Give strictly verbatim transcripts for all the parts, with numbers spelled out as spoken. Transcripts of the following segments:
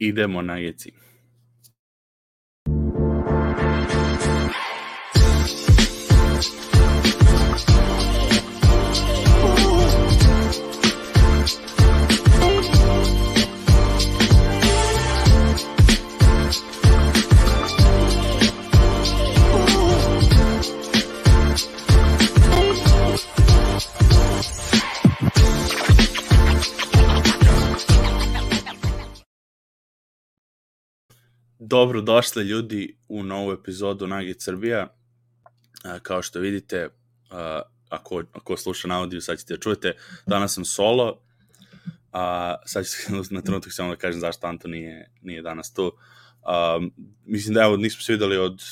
Idemo na Geci. Dobro došli ljudi u novu epizodu Nugget Srbija. Kao što vidite, ako, ako sluša na audio, sad ćete da čujete, danas sam solo, a sad ću na trenutak samo da kažem zašto Anto nije, nije danas tu. A, mislim da evo, nismo se videli od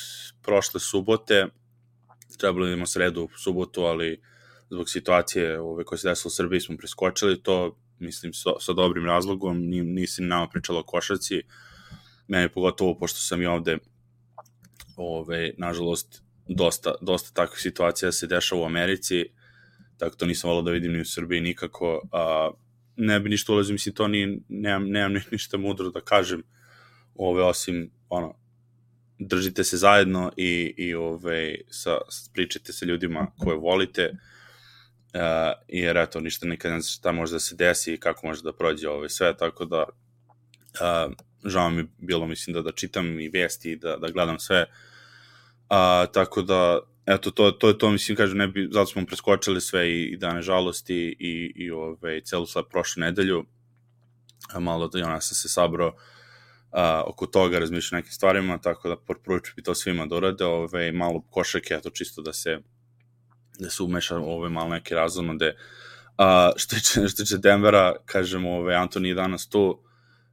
prošle subote, trebalo da imamo sredu, subotu, ali zbog situacije ove, koje se desilo u Srbiji smo preskočili to, mislim, sa, sa dobrim razlogom, nisi nama pričala o košarci, meni pogotovo, pošto sam i ovde, ove, nažalost, dosta, dosta takvih situacija se dešava u Americi, tako to nisam volao da vidim ni u Srbiji nikako. A, ne bi ništa ulazio, mislim, to ni, nemam, nemam ništa mudro da kažem, ove, osim, ono, držite se zajedno i, i ove, sa, pričajte sa ljudima koje volite, a, jer eto, ništa nikad ne znam šta može da se desi i kako može da prođe ove sve, tako da a, žao mi bilo, mislim, da, da čitam i vesti i da, da gledam sve. A, tako da, eto, to, to je to, mislim, kažem, ne bi, zato smo preskočili sve i, i dane žalosti i, i ove, celu sad prošlu nedelju. A, malo da, ja sam se sabrao a, oko toga, razmišljam nekim stvarima, tako da prvo ću bi to svima da urade, ove, malo košarke, eto, čisto da se da se umeša ove malo neke razonode. A, što tiče, što tiče Denvera, kažem, ove, Anton je danas tu,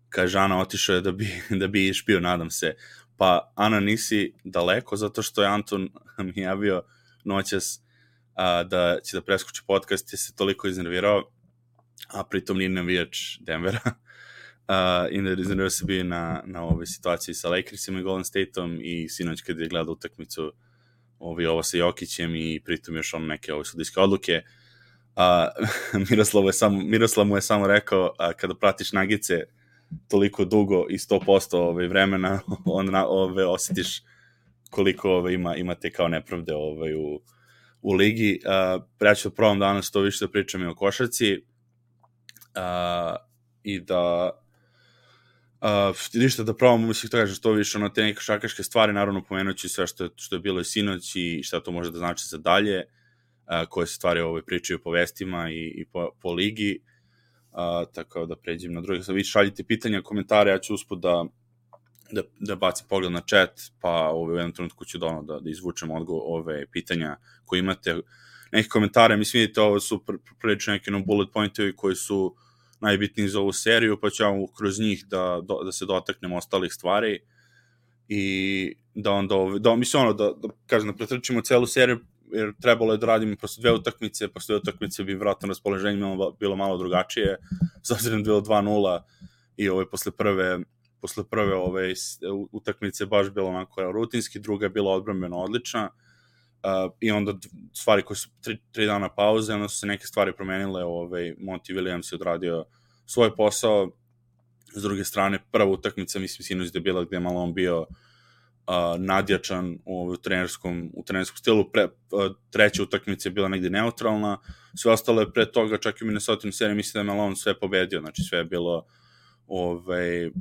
kaže, Ana otišao je da bi, da bi išpio, nadam se. Pa, Ana, nisi daleko, zato što je Anton mi javio noćas a, da će da preskoči podcast, je se toliko iznervirao, a pritom nije navijač Denvera. A, i iznervirao se bio na, na ove situaciji sa Lakersima i Golden Stateom i sinoć kad je gledao utakmicu ovi, ovo sa Jokićem i pritom još on neke ove sudijske odluke. A, Miroslav, je samo, Miroslav mu je samo rekao, a, kada pratiš Nagice toliko dugo i sto posto ove vremena, onda ove osjetiš koliko ove ima imate kao nepravde ove u u ligi. Uh, ja ću da probam danas to više da pričam i o košarci uh, i da uh, ništa da probam, mislim to kažem što više na te neke košarkaške stvari, naravno pomenući sve što je, što je bilo i sinoć i šta to može da znači za dalje, uh, koje se stvari ove pričaju po vestima i, i po, po ligi. Uh, tako da pređem na druge. Sad vi šaljite pitanja, komentare, ja ću usput da, da, da bacim pogled na chat, pa ove, u jednom trenutku ću da, da, da izvučem odgovor ove pitanja koje imate. Neki komentare, mislim vidite, ovo su prilično neki no bullet pointovi koji su najbitniji za ovu seriju, pa ću ja kroz njih da, da, da se dotaknem ostalih stvari i da onda, ove, da, mislim ono, da, da kažem, da pretrčimo celu seriju, jer trebalo je da radimo prosto dve utakmice, prosto dve utakmice bi vratno raspoloženje bilo malo drugačije, s obzirom da je bilo dva nula i ove, posle prve, posle prve ove, utakmice baš bilo onako rutinski, druga je bila odbrambeno odlična uh, i onda stvari koje su tri, tri dana pauze, onda su se neke stvari promenile, ove, Monty Williams je odradio svoj posao, s druge strane prva utakmica, mislim sinoć da je bila gde je malo on bio Uh, nadjačan u, u, trenerskom, u trenerskom stilu, pre, uh, treća utakmica je bila negde neutralna, sve ostalo je pre toga, čak i u Minnesota seriji, mislim da je Malone sve pobedio, znači sve je bilo ovaj, uh,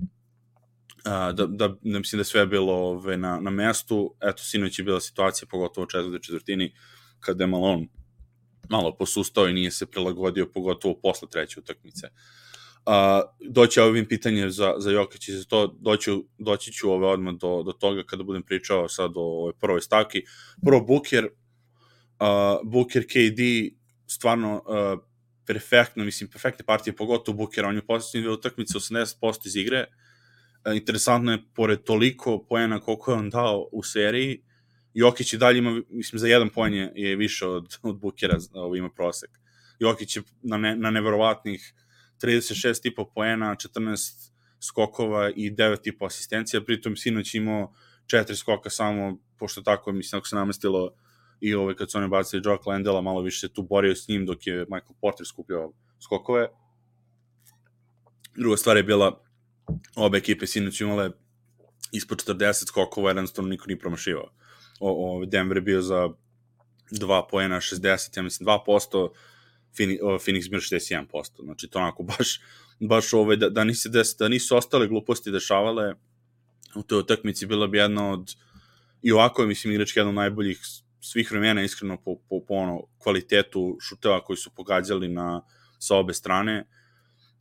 da, da, da mislim da sve je bilo ovaj, na, na mestu, eto, sinoć je bila situacija, pogotovo u četvrtoj četvrtini, kada je Malone malo posustao i nije se prilagodio, pogotovo posle treće utakmice. Uh, doći ovim pitanje za, za Jokić i za to, doći, doći ću ove odmah do, do toga kada budem pričao sad o ovoj prvoj stavki. Prvo Booker, uh, Booker K D, stvarno uh, perfektno, mislim, perfektne partije, pogotovo Booker, on je posljednje dve utakmice osamdeset posto iz igre. Uh, interesantno je, pored toliko poena koliko je on dao u seriji, Jokić i dalje ima, mislim, za jedan poen je, je više od, od Bookera, ovo ima prosek. Jokić je na, ne, na neverovatnih trideset šest i po poena, četrnaest skokova i devet i po asistencija, pritom sinoć imao četiri skoka samo, pošto tako, mislim, ako se namestilo i ove, kad su oni bacili Jock Landela, malo više se tu borio s njim dok je Michael Porter skupljao skokove. Druga stvar je bila obe ekipe sinoć imale ispod četrdeset skokova, jednostavno niko nije promašivao. O, o, Denver je bio za dva poena, šezdeset, ja mislim, dva posto, Phoenix bio šezdeset jedan posto. Znači, to onako baš, baš ovaj, da, da, nisi des, da nisu ostale gluposti dešavale, u toj utakmici bila bi jedna od, i ovako je, mislim, igrački jedna od najboljih svih vremena, iskreno, po, po, po ono, kvalitetu šuteva koji su pogađali na, sa obe strane.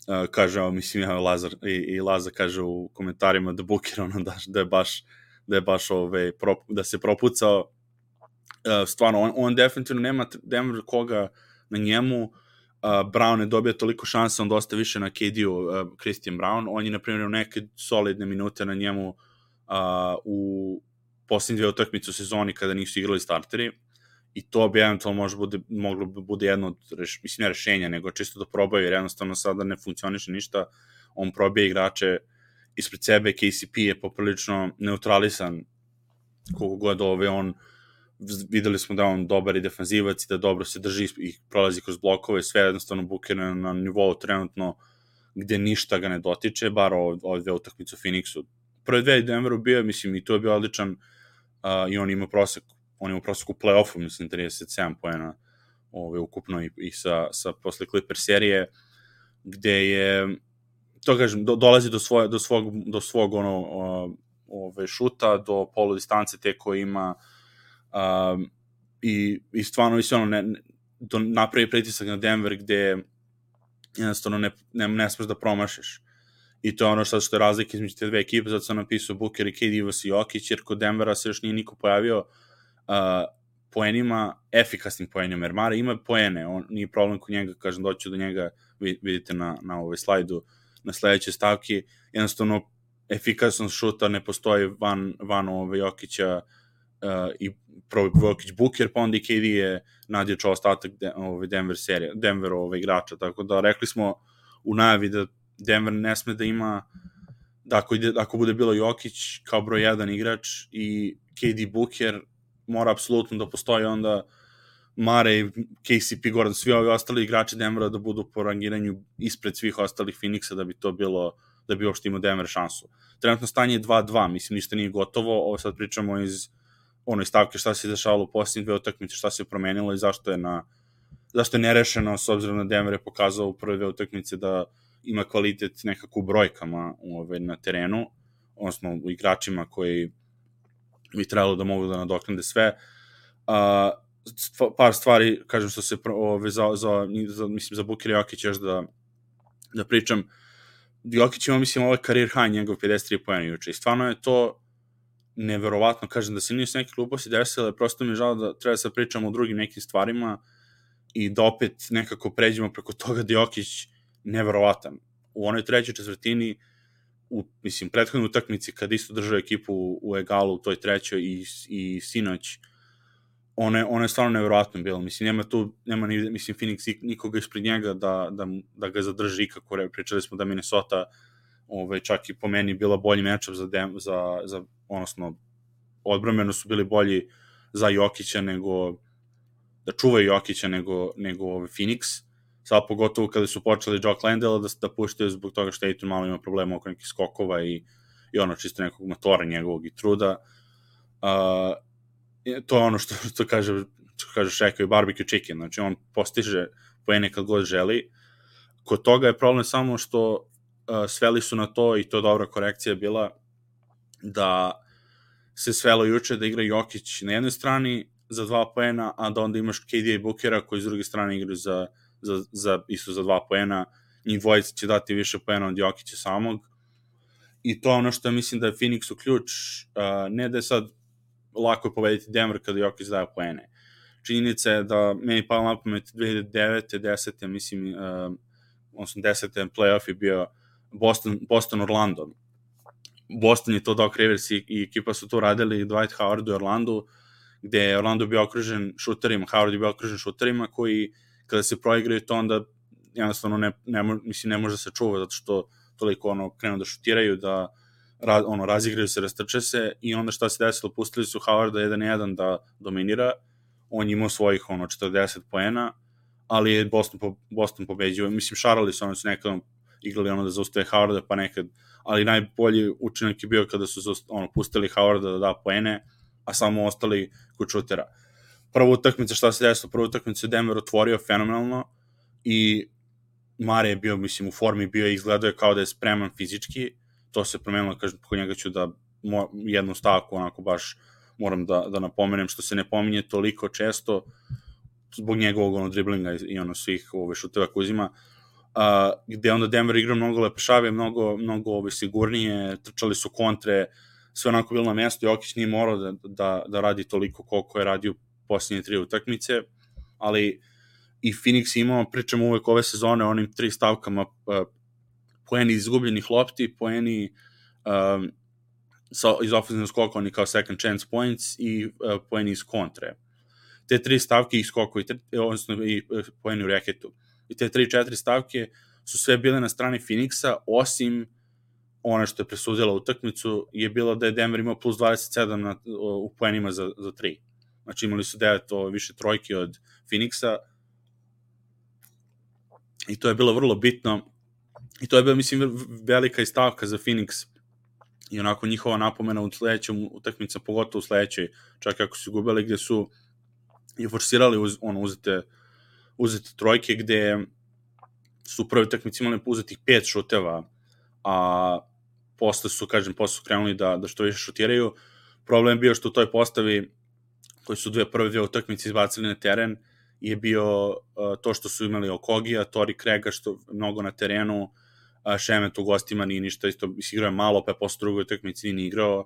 Uh, kaže, mislim, ja, Lazar, i, i Lazar kaže u komentarima da Booker, ono, da, da je baš, da je baš, ove, pro, da se propucao. Uh, stvarno, on, on definitivno nema Denver koga na njemu. Uh, Brown je dobio toliko šansa, on dosta više na K D-u, uh, Christian Brown. On je, na primjer, neke solidne minute na njemu uh, u posljednje dve utakmice u sezoni kada nisu igrali starteri. I to bi eventualno možda bude, moglo bi bude jedno od, reš, mislim, ne rešenja, nego čisto da probaju, jer jednostavno sada ne funkcioniše ništa. On probije igrače ispred sebe, K C P je poprilično neutralisan koliko god ove on, videli smo da on dobar i defanzivac i da dobro se drži i prolazi kroz blokove, sve jednostavno Booker na, na nivou trenutno gde ništa ga ne dotiče, bar ove dve utakmice u Phoenixu. Prve dve Denveru bio, mislim, i to je bio odličan uh, i on ima prosek on ima prosek u play-offu, mislim, trideset sedam poena ove, ukupno i, i sa, sa posle Clipper serije, gde je, to kažem, do, dolazi do, svoje, do svog, do svog ono, o, ove, šuta, do polu distance te koje ima um, i, i stvarno mislim, ono, ne, do, napravi pritisak na Denver gde jednostavno ne, ne, ne smeš da promašiš. I to je ono što, što je razlika između te dve ekipe, zato sam napisao Booker i K D vs Jokić, jer kod Denvera se još nije niko pojavio Uh, poenima, efikasnim poenima, jer Mare ima poene, on nije problem kod njega, kažem, doću do njega, vidite na, na ovaj slajdu, na sledećoj stavki, jednostavno efikasnost šuta ne postoji van, van ove Jokića uh, i prvo Jokić Booker, pa onda i K D je nadječao ostatak de, ove Denver serije, Denver ove igrača, tako da rekli smo u najavi da Denver ne sme da ima, da ako, ide, ako bude bilo Jokić kao broj jedan igrač i K D Booker, mora apsolutno da postoji onda Mare i K C P Gordon, svi ovi ostali igrači Denvera da budu po rangiranju ispred svih ostalih Phoenixa da bi to bilo, da bi uopšte imao Denver šansu. Trenutno stanje je dva dva, mislim, ništa nije gotovo, ovo sad pričamo iz onoj stavke šta se dešavalo u posljednje dve utakmice, šta se promenilo i zašto je na zašto je nerešeno, s obzirom na Denver je pokazao u prve dve utakmice da ima kvalitet nekako u brojkama ove, na terenu, odnosno u igračima koji bi trebalo da mogu da nadoknade sve. Uh, stva, par stvari, kažem, što se ove, za, za, za, mislim, za Booker i Jokić još da, da pričam. Jokić ima, mislim, ovaj career high, njegov pedeset tri poena juče. I stvarno je to neverovatno, kažem, da se nije s neke gluposti desile, prosto mi je žao da treba da se pričamo o drugim nekim stvarima i da opet nekako pređemo preko toga da Jokić neverovatan. U onoj trećoj četvrtini u, mislim, prethodnoj utakmici kad isto držao ekipu u, u egalu u toj trećoj i, i sinoć, one, one je stvarno nevjerojatno bilo. Mislim, nema tu, nema ni, mislim, Phoenix nikoga ispred njega da, da, da ga zadrži ikako. Pričali smo da Minnesota ovaj, čak i po meni bila bolji matchup za, dem, za, za odnosno, odbrambeno su bili bolji za Jokića nego, da čuvaju Jokića nego, nego ovaj Phoenix. Sad pogotovo kada su počeli Jock Landale da, da puštaju zbog toga što Aiton malo ima problema oko nekih skokova i, i ono čisto nekog motora njegovog i truda. Uh, to je ono što, što kaže, što kaže Shaq i barbecue chicken, znači on postiže poene kad god želi. Kod toga je problem samo što uh, sveli su na to, i to je dobra korekcija bila, da se svelo juče da igra Jokić na jednoj strani za dva poena, a da onda imaš K D i Bookera koji s druge strane igraju za Za, za, isto za dva poena, njih dvojica će dati više poena od Jokića samog, i to ono što mislim da je Phoenixu ključ, uh, ne da je sad lako je pobediti Denver kada Jokić daje poene. Činjenica je da meni palo na pamet dve hiljade devete, desete, mislim, uh, odnosno desete playoff je bio Boston, Boston Orlando. Boston je to Doc Rivers i, i ekipa su to radili Dwight Howard u Orlandu, gde je Orlando bio okružen šuterima, Howard je bio okružen šuterima koji kada se proigraju to onda jednostavno ne, ne, mislim, ne može da se čuva zato što toliko ono krenu da šutiraju, da ra, ono, razigraju se, rastrče se, i onda šta se desilo, pustili su Howarda jedan jedan da dominira, on imao svojih ono četrdeset poena, ali je Boston, po, Boston pobeđio, mislim, šarali su, oni su nekada igrali ono da zaustave Howarda, pa nekad, ali najbolji učinak je bio kada su ono, pustili Howarda da da poene, a samo ostali kod šutera. Prva utakmica, šta se desilo, prva utakmica je Denver otvorio fenomenalno i Mare je bio, mislim, u formi bio i izgledao je kao da je spreman fizički, to se promenilo, kažem, kod njega ću da mo, jednu stavku, onako baš moram da, da napomenem, što se ne pominje toliko često, zbog njegovog ono, driblinga i, i ono svih ove šuteva koje uzima, uh, gde onda Denver igra mnogo lepešave, mnogo, mnogo ove, sigurnije, trčali su kontre, sve onako bilo na mjestu i Jokić nije morao da, da, da radi toliko koliko je radio posljednje tri utakmice, ali i Phoenix imao, pričamo uvek ove sezone o onim tri stavkama, uh, poeni izgubljenih lopti, poeni um, sa, iz ofenzivnog skoka, oni kao second chance points i uh, poeni iz kontre. Te tri stavke i skoko, i, odnosno i uh, poeni u reketu. I te tri, četiri stavke su sve bile na strani Phoenixa, osim ono što je presudila utakmicu, je bilo da je Denver imao plus dvadeset sedam na, u poenima za, za tri. Znači imali su devet o, više trojki od Phoenixa, i to je bilo vrlo bitno, i to je bilo, mislim, velika istavka za Phoenix, i onako njihova napomena u sledećem utakmica, pogotovo u sledećoj, čak ako su gubili, gde su i forsirali uz, ono, uzete, uzete trojke, gde su prvi utakmici imali uzetih pet šuteva, a posle su, kažem, posle su krenuli da, da što više šutiraju. Problem je bio što u toj postavi, koji su dve prve dve utakmice izbacili na teren, je bio uh, to što su imali Okogija, Tori Craiga, što mnogo na terenu, uh, Šemet u gostima nije ništa, isto igrao je malo, pa je posle drugoj utakmici nije igrao. Uh,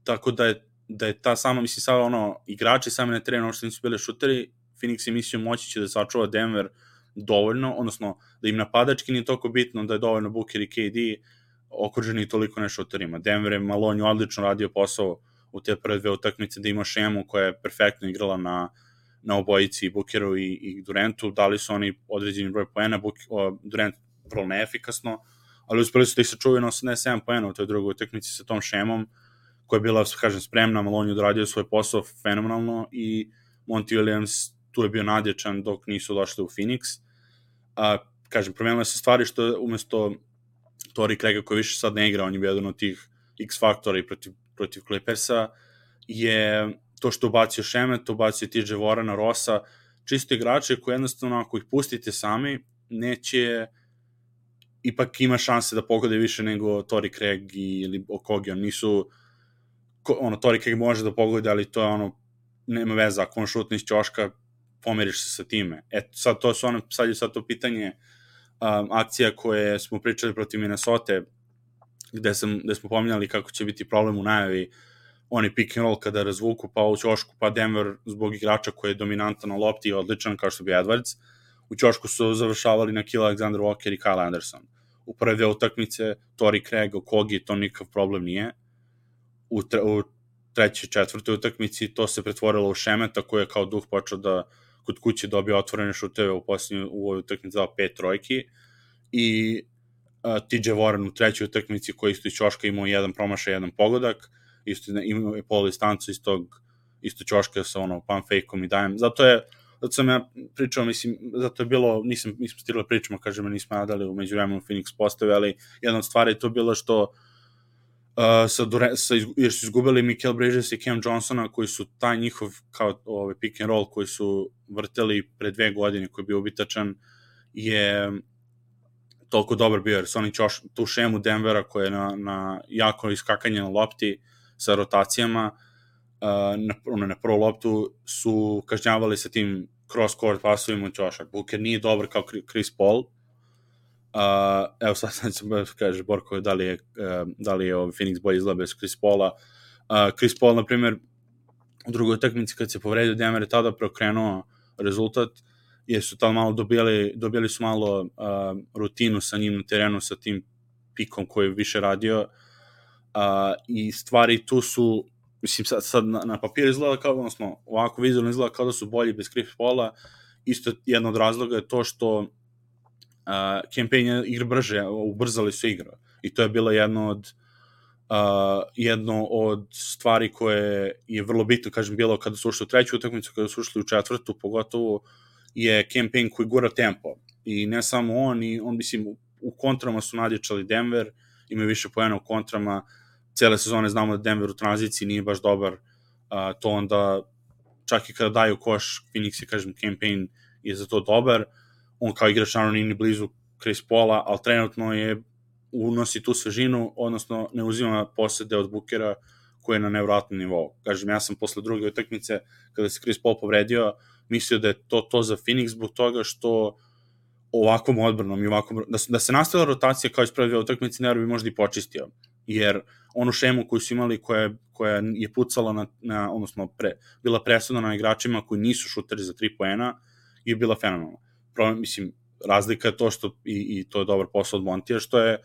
tako da je, da je ta sama, mislim, sada ono, igrači sami na terenu, ono što nisu bili šuteri, Phoenix je mislio moći će da sačuva Denver dovoljno, odnosno da im napadački nije toliko bitno, da je dovoljno Booker i K D okruženi toliko ne šuterima. Denver je Malonju odlično radio posao u te prve dve utakmice, da ima šemu koja je perfektno igrala na, na obojici, Bookeru i, i Durantu, dali su oni određeni broj poena, Durant vrlo neefikasno, ali uspeli su da ih sačuvaju na osamdeset sedam poena u toj drugoj utakmici sa tom šemom, koja je bila, kažem, spremna, Malonju odradio svoj posao fenomenalno i Monty Williams tu je bio nadječan dok nisu došli u Phoenix. A, kažem, promenile se stvari što umesto Tori Craiga koji više sad ne igra, on je bio jedan od tih X-faktora i protiv, protiv Clippersa, je to što ubacio Šemet, ubacio T J Warrena, Rossa, čisto igrače koji jednostavno ako ih pustite sami, neće, ipak ima šanse da pogode više nego Tori Craig ili Okogi, on nisu, ono, Tori Craig može da pogode, ali to je ono, nema veza, ako on šutne iz ćoška, pomeriš se sa time. Eto, sad to su ono, sad je sad to pitanje um, akcija koje smo pričali protiv Minnesota, gde, sam, gde smo pominjali kako će biti problem u najavi, oni pick and roll kada razvuku, pa u ćošku, pa Denver zbog igrača koji je dominantan na lopti i odličan, kao što bi Edwards, u ćošku su završavali na Kill Alexander Walker i Kyle Anderson. U prve dve utakmice, Tori Craig, Okogi, to nikakav problem nije. U, tre, u trećoj, četvrtoj utakmici to se pretvorilo u Šemeta, koji je kao duh počeo da kod kuće dobio otvorene šuteve u posljednju, u ovoj utakmici dao pet trojki, i uh, T J Warren u trećoj utakmici koji isto iz ćoška imao jedan promašaj, jedan pogodak, isto imao je polu distancu iz tog isto ćoška sa ono pump fake-om i dajem. Zato je, zato sam ja pričao, mislim, zato je bilo, nisam, nisam stigla pričamo, kažem, nismo nadali u međuvremenu Phoenix postave, ali jedna od stvari je to bilo što uh, sa, sa, jer su izgubili Mikal Bridges i Cam Johnsona, koji su taj njihov kao ovaj pick and roll koji su vrteli pre dve godine, koji je bio ubitačan, je toliko dobar bio, jer su oni ćoš, tu šemu Denvera koja je na, na jako iskakanje na lopti sa rotacijama, uh, na, ono, na prvu loptu su kažnjavali sa tim cross-court pasovima u ćošak. Booker nije dobar kao Chris Paul. Uh, evo sad sad sam kaže Borko da li je, uh, da li je ovaj Phoenix bolje izgleda bez Chris Paula. Uh, Chris Paul, na primjer, u drugoj utakmici kad se povredio Denver je tada preokrenuo rezultat, jer su tamo malo dobili, dobili su malo uh, rutinu sa njim na terenu, sa tim pikom koji je više radio, uh, i stvari tu su, mislim, sad, sad na, na papiru izgleda kao, odnosno, ovako vizualno izgleda kao da su bolji bez Chris Paula. Isto jedno od razloga je to što uh, campaign igra brže, ubrzali su igru, i to je bilo jedno od Uh, jedno od stvari koje je vrlo bitno, kažem, bilo kada su ušli u treću utakmicu, kada su ušli u četvrtu, pogotovo je campaign koji gura tempo. i ne samo on, i on, mislim, u kontrama su nadječali Denver, imaju više poena u kontrama, cele sezone znamo da Denver u tranziciji nije baš dobar, uh, to onda, čak i kada daju koš, Phoenix je, kažem, campaign je za to dobar, on kao igrač naravno nije ni blizu Chris Paula, ali trenutno je unosi tu svežinu, odnosno ne uzima posede od Bookera koji je na nevratnom nivou. Kažem, ja sam posle druge utakmice, kada se Chris Paul povredio, mislio da je to to za Phoenix zbog toga što ovakvom odbranom i ovakvom, da, da se nastavila rotacija kao iz prve dve utakmice, ne bi možda i počistio, jer onu šemu koju su imali, koja, koja je pucala na, na odnosno pre, bila presudna na igračima koji nisu šuteri za tri poena, je bila fenomenalna. Problem, mislim, razlika je to što, i, i to je dobar posao od Montija, što je,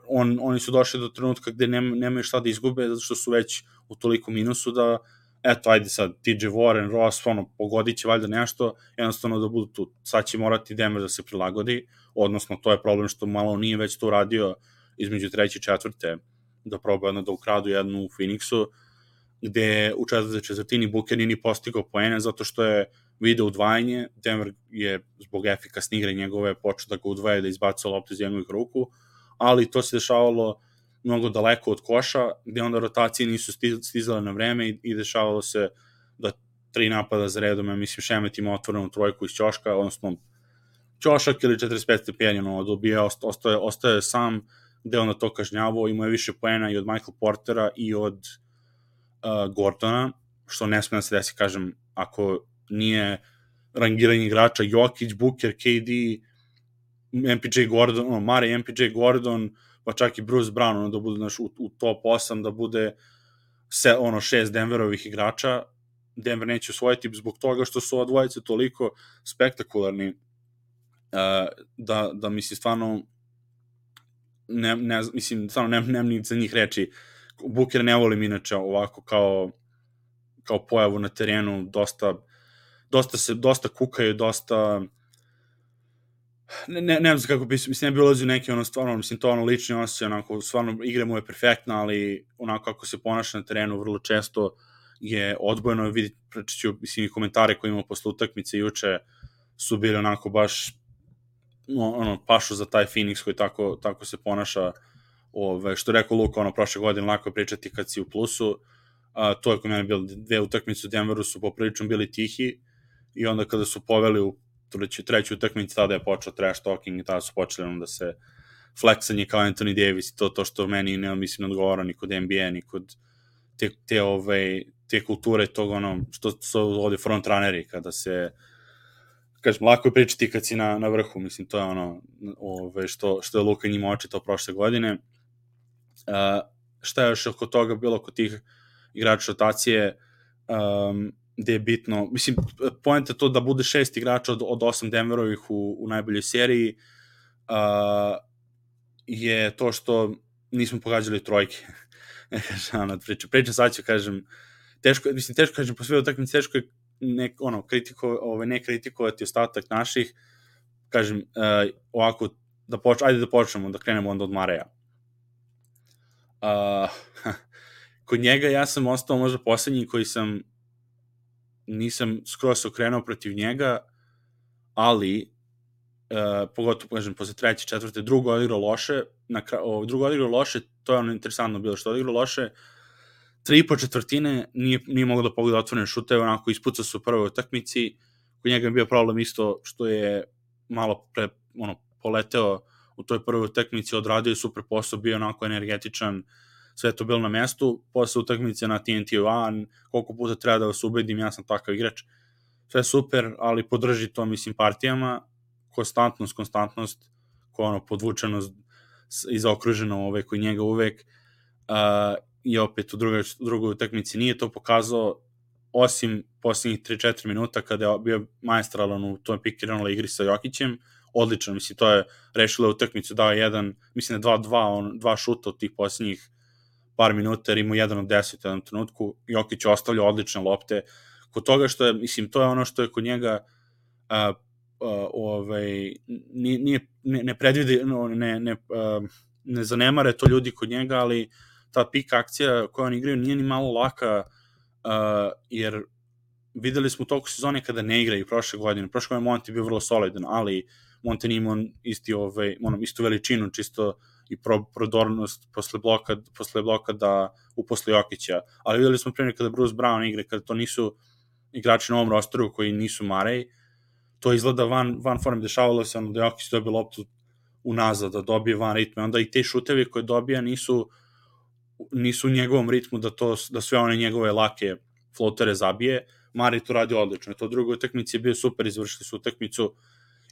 on, oni su došli do trenutka gde nema, nemaju šta da izgube, zato što su već u toliko minusu da, eto, ajde sad, T J Warren, Ross, ono, pogodit će valjda nešto, jednostavno da budu tu. Sad će morati Denver da se prilagodi, odnosno to je problem što malo nije već to radio između treće i četvrte, da probaju jedno da ukradu jednu u Phoenixu, gde u četvrte četvrtini Booker nije ni postigao poene, zato što je video udvajanje, Denver je zbog efikasne igre njegove počeo da ga udvaja, da izbacuje loptu iz njegovih ruku, ali to se dešavalo mnogo daleko od koša, gde onda rotacije nisu stizale na vreme i, i dešavalo se da tri napada za redom, ja mislim, Šemet ima otvorenu trojku iz ćoška, odnosno ćošak ili četrdeset pet stepeni, ono, dobija, ostaje, ostaje sam, gde onda to kažnjavo, ima je više poena i od Michael Portera i od uh, Gordona, što ne smije da se desi, kažem, ako nije rangiranje igrača Jokić, Booker, K D, M P J Gordon, ono, Mare, M P J Gordon, pa čak i Bruce Brown, ono, da bude, znaš, u, u top osam, da bude se, ono, šest Denverovih igrača, Denver neće osvojiti zbog toga što su odvojice toliko spektakularni, uh, da, da mislim, stvarno, ne, ne, mislim, stvarno, nemam nem ni za njih reći. Booker ne volim inače ovako kao, kao pojavu na terenu, dosta, dosta se, dosta kukaju, dosta, ne, ne, ne znam kako bi, mislim, ne bi ulazio neki, ono, stvarno, mislim, to ono lični osjećaj, onako, stvarno, igra mu je perfektna, ali onako kako se ponaša na terenu vrlo često je odbojeno, vidite, prečiću, mislim, i komentare koje imamo posle utakmice juče su bili onako baš, ono, pašu za taj Phoenix koji tako, tako se ponaša, ove, što je rekao Luka, ono, prošle godine lako je pričati kad si u plusu, a, to je kod mene bilo, dve utakmice u Denveru su poprilično bili tihi i onda kada su poveli u treću utakmicu, tada je počeo trash talking i tada su počeli ono da se fleksanje kao Anthony Davis i to, to što meni ne, mislim, ne odgovara ni kod N B A, ni kod te, te, ove, te kulture tog, ono, što su ovde frontrunneri, kada se, kažem, lako je pričati kad si na, na vrhu, mislim, to je ono, ove, što, što je Luka njima očitao prošle godine. Uh, šta je još oko toga bilo, oko tih igrača rotacije, um, gde je bitno, mislim, poenta je to da bude šest igrača od, od osam Denverovih u, u najboljoj seriji, uh, je to što nismo pogađali trojke. Kažem, priča, priča sad ću, kažem, teško, mislim, teško, kažem, po sve utakmice, teško je ne, ono, kritiko, ove, ne kritikovati ostatak naših, kažem, uh, ovako, da poč, ajde da počnemo, da krenemo onda od Mareja. Uh, kod njega ja sam ostao možda poslednji koji sam nisam skroz okrenuo protiv njega, ali uh, pogotovo, kažem, posle treće, četvrte, drugo odigrao loše, na kraju, drugo odigrao loše, to je ono interesantno bilo, što odigrao loše, tri i po četvrtine nije, nije mogao da pogleda otvorene šuteve, onako ispucao se u prvoj utakmici, kod njega je bio problem isto što je malo pre, ono, poleteo u toj prvoj utakmici, odradio je super posao, bio onako energetičan, sve to bilo na mestu, posle utakmice na T N T-u, a koliko puta treba da vas ubedim, ja sam takav igrač, sve super, ali podrži to, mislim, partijama, konstantnost, konstantnost, koja ono, podvučenost i zaokruženo ove, koji njega uvek, uh, i opet u drugoj, drugoj utakmici nije to pokazao, osim posljednjih tri četiri minuta kada je bio maestralan u toj pick-and-roll igri sa Jokićem, odlično, mislim, to je rešilo utakmicu, dao jedan, mislim, dva dva, on, dva šuta od tih posljednjih par minuta, jer imao jedan od deset u jednom trenutku, Jokić ostavlja odlične lopte, kod toga što je, mislim, to je ono što je kod njega uh, uh, ovaj, nije, ne, ne predvidi, no, ne, ne, uh, ne zanemare to ljudi kod njega, ali ta pik akcija koju on igraju nije ni malo laka, uh, jer videli smo u toku sezone kada ne igraju prošle godine, prošle godine Monti je bio vrlo solidan, ali Monte nije imao isti, ovaj, ono, istu veličinu, čisto i pro, prodornost posle bloka, posle bloka da uposle Jokića. Ali videli smo primjer kada Bruce Brown igre, kada to nisu igrači na ovom rosteru koji nisu Murray, to izgleda van, van form, dešavalo se ono da Jokić dobije loptu unazad, da dobije van ritme, onda i te šutevi koje dobija nisu nisu u njegovom ritmu da, to, da sve one njegove lake flotere zabije. Murray to radi odlično. To drugo utakmici je bio super, izvršili su utakmicu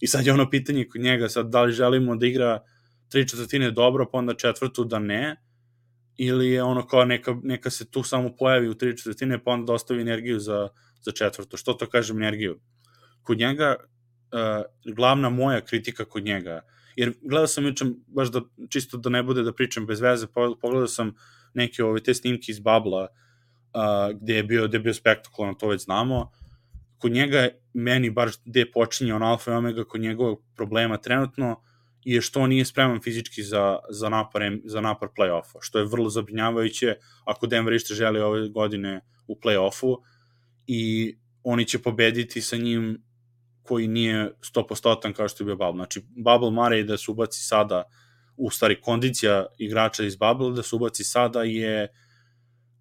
i sad je ono pitanje kod njega, sad da li želimo da igra tri četvrtine dobro, pa onda četvrtu da ne, ili je ono kao neka, neka se tu samo pojavi u tri četvrtine, pa onda da ostavi energiju za, za četvrtu. Što to kažem energiju? Kod njega, uh, glavna moja kritika kod njega, jer gledao sam juče, baš da, čisto da ne bude da pričam bez veze, pogledao sam neke ove te snimke iz Babla, uh, gde je bio, gde je bio spektakularno, to već znamo. Kod njega, meni bar gde počinje on alfa i omega, kod njegovog problema trenutno, je što on nije spreman fizički za, za, napar, za napar play-offa, što je vrlo zabrinjavajuće ako Denver ište želi ove godine u play-offu i oni će pobediti sa njim koji nije sto posto kao što je bio Bubble. Znači, Bubble Murray da se ubaci sada, u stvari kondicija igrača iz Bubble da se ubaci sada je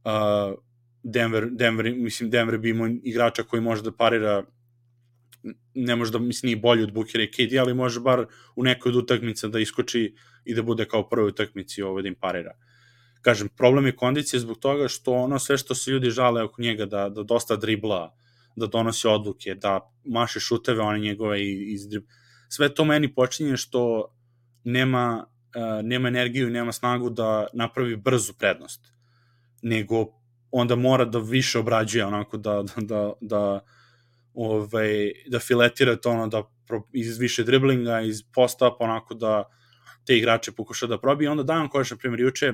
uh, Denver, Denver, mislim, Denver bi imao igrača koji može da parira, ne može da, mislim, nije bolji od Bookera i K D, ali može bar u nekoj od utakmica da iskoči i da bude kao prvoj utakmici ovo da im parira. Kažem, problem je kondicija zbog toga što ono sve što se ljudi žale oko njega, da, da dosta dribla, da donosi odluke, da maše šuteve, one njegove iz dribla. Sve to meni počinje što nema, uh, nema energiju i nema snagu da napravi brzu prednost, nego onda mora da više obrađuje, onako da, da, da, da ovaj, da filetira to ono, da pro, iz više driblinga, iz posta, pa onako da te igrače pokuša da probije. Onda dajem kojaš, na primjer, juče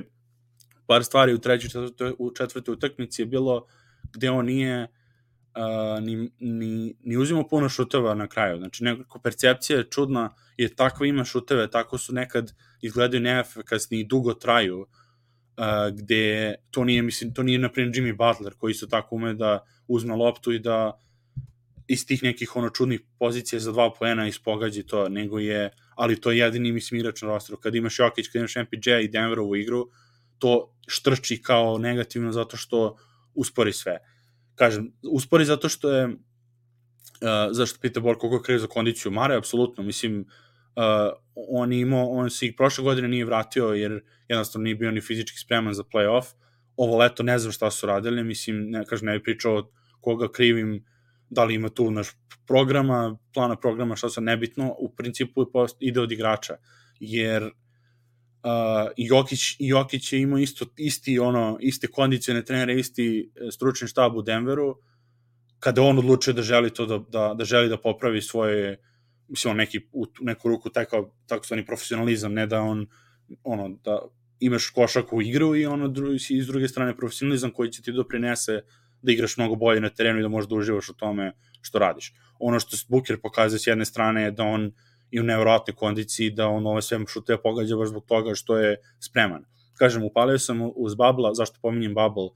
par stvari u trećoj, četvrtoj, u četvrtoj utakmici je bilo gde on nije uh, ni, ni, ni uzimao puno šuteva na kraju. Znači, nekako percepcija je čudna, jer takvo ima šuteve, tako su nekad izgledaju neefikasni i dugo traju, uh, gde to nije, mislim, to nije, na primjer, Jimmy Butler, koji isto tako ume da uzme loptu i da iz tih nekih ono čudnih pozicija za dva poena ispogađi to, nego je, ali to je jedini, mislim, igrač na rosteru. Kad imaš Jokić, kad imaš M P J i Denverovu igru, to štrči kao negativno zato što uspori sve. Kažem, uspori zato što je, uh, zašto pita Bor koliko kreje za kondiciju Mare, apsolutno, mislim, uh, on imao, on se i prošle godine nije vratio jer jednostavno nije bio ni fizički spreman za play-off. Ovo leto ne znam šta su radili, mislim, ne, kažem, ne bih pričao koga krivim, da li ima tu naš programa, plana programa, šta se nebitno, u principu ide od igrača, jer uh, Jokić, Jokić je imao isto, isti, ono, iste kondicione trenere, isti stručni štab u Denveru, kada on odlučio da želi to, da, da, da želi da popravi svoje, mislim, neki, u neku ruku taj kao takozvani profesionalizam, ne da on, ono, da imaš košarku u igru i ono, i s druge strane profesionalizam koji će ti doprinese da igraš mnogo bolje na terenu i da možeš da uživaš u tome što radiš. Ono što Booker pokazuje s jedne strane je da on i u nevjerojatnoj kondiciji, da on ove sve šute pogađa baš zbog toga što je spreman. Kažem, upalio sam uz Bubble, zašto pominjem Bubble,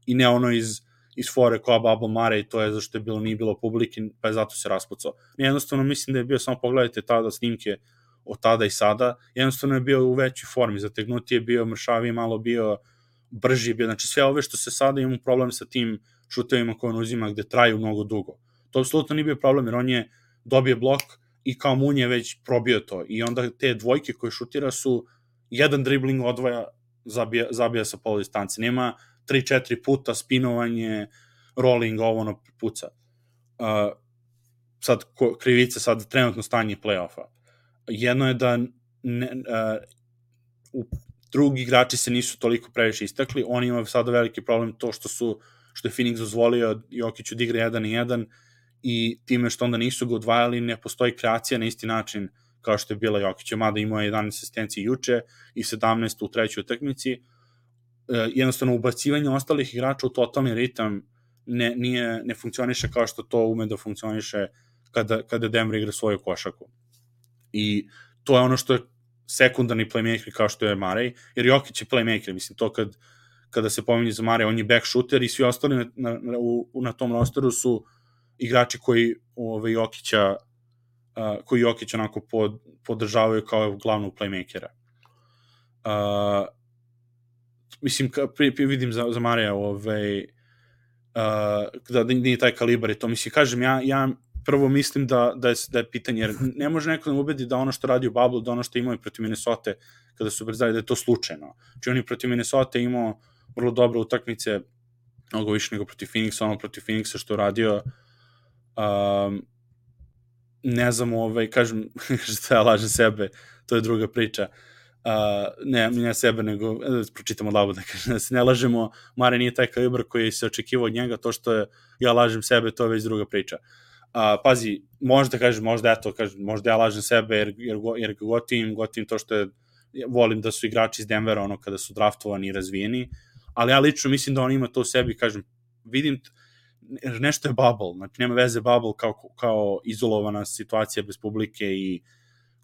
i ne ono iz, iz fore koja Bubble Murray, to je zašto je bilo, nije bilo publike, pa je zato se raspucao. Jednostavno mislim da je bio, samo pogledajte tada snimke od tada i sada, jednostavno je bio u većoj formi, zategnuti je bio, mršaviji malo bio, brži bio, znači sve ove što se sada imamo problem sa tim šutevima koje on uzima gde traju mnogo dugo. To apsolutno nije bio problem, jer on je dobio blok i kao Mun je već probio to. I onda te dvojke koje šutira su jedan dribling odvaja, zabija, zabija sa polu distanci. Nema tri četiri puta spinovanje, rolling, ovo ono puca. Uh, sad, ko, krivica, sad trenutno stanje play-offa. Jedno je da ne, uh, u drugi igrači se nisu toliko previše istakli, oni imaju sada veliki problem to što su što je Phoenix dozvolio Jokiću da igra jedan i jedan i time što onda nisu ga odvajali, ne postoji kreacija na isti način kao što je bila Jokića, mada imao je jedanaest asistencije juče i sedamnaest u trećoj utakmici. E, jednostavno, ubacivanje ostalih igrača u totalni ritam ne, nije, ne funkcioniše kao što to ume da funkcioniše kada, kada Denver igra svoju košarku. I to je ono što je sekundarni playmaker kao što je Murray, jer Jokić je playmaker, mislim, to kad kada se pominje za Mare, on je back shooter i svi ostali na, na, u, na tom rosteru su igrači koji ove, Jokića uh, koji Jokić onako pod, podržavaju kao glavnog playmakera. Uh, mislim, ka, pri, pri, vidim za, za Marija ovaj, uh, da nije taj kalibar i to. Mislim, kažem, ja, ja prvo mislim da, da, je, da je pitanje, jer ne može neko da ubedi da ono što radi u Bubble, da ono što imaju protiv Minnesota kada su brzali, da je to slučajno. Znači, oni protiv Minnesota imao vrlo dobre utakmice, mnogo više nego protiv Phoenixa, ono protiv Phoenixa što je radio, um, ne znam, ovaj, kažem, što ja lažem sebe, to je druga priča, uh, ne, ne sebe, nego, da pročitamo labu, da kažem, da se ne lažemo, Mare nije taj kalibar koji se očekivao od njega, to što je, ja lažem sebe, to je već druga priča. Uh, pazi, možda kažem, možda eto, kažem, možda ja lažem sebe, jer, jer, jer gotivim, gotivim to što je, volim da su igrači iz Denvera, ono, kada su draftovani i razvijeni, ali ja lično mislim da on ima to u sebi, kažem, vidim, nešto je bubble, znači nema veze bubble kao, kao izolovana situacija bez publike i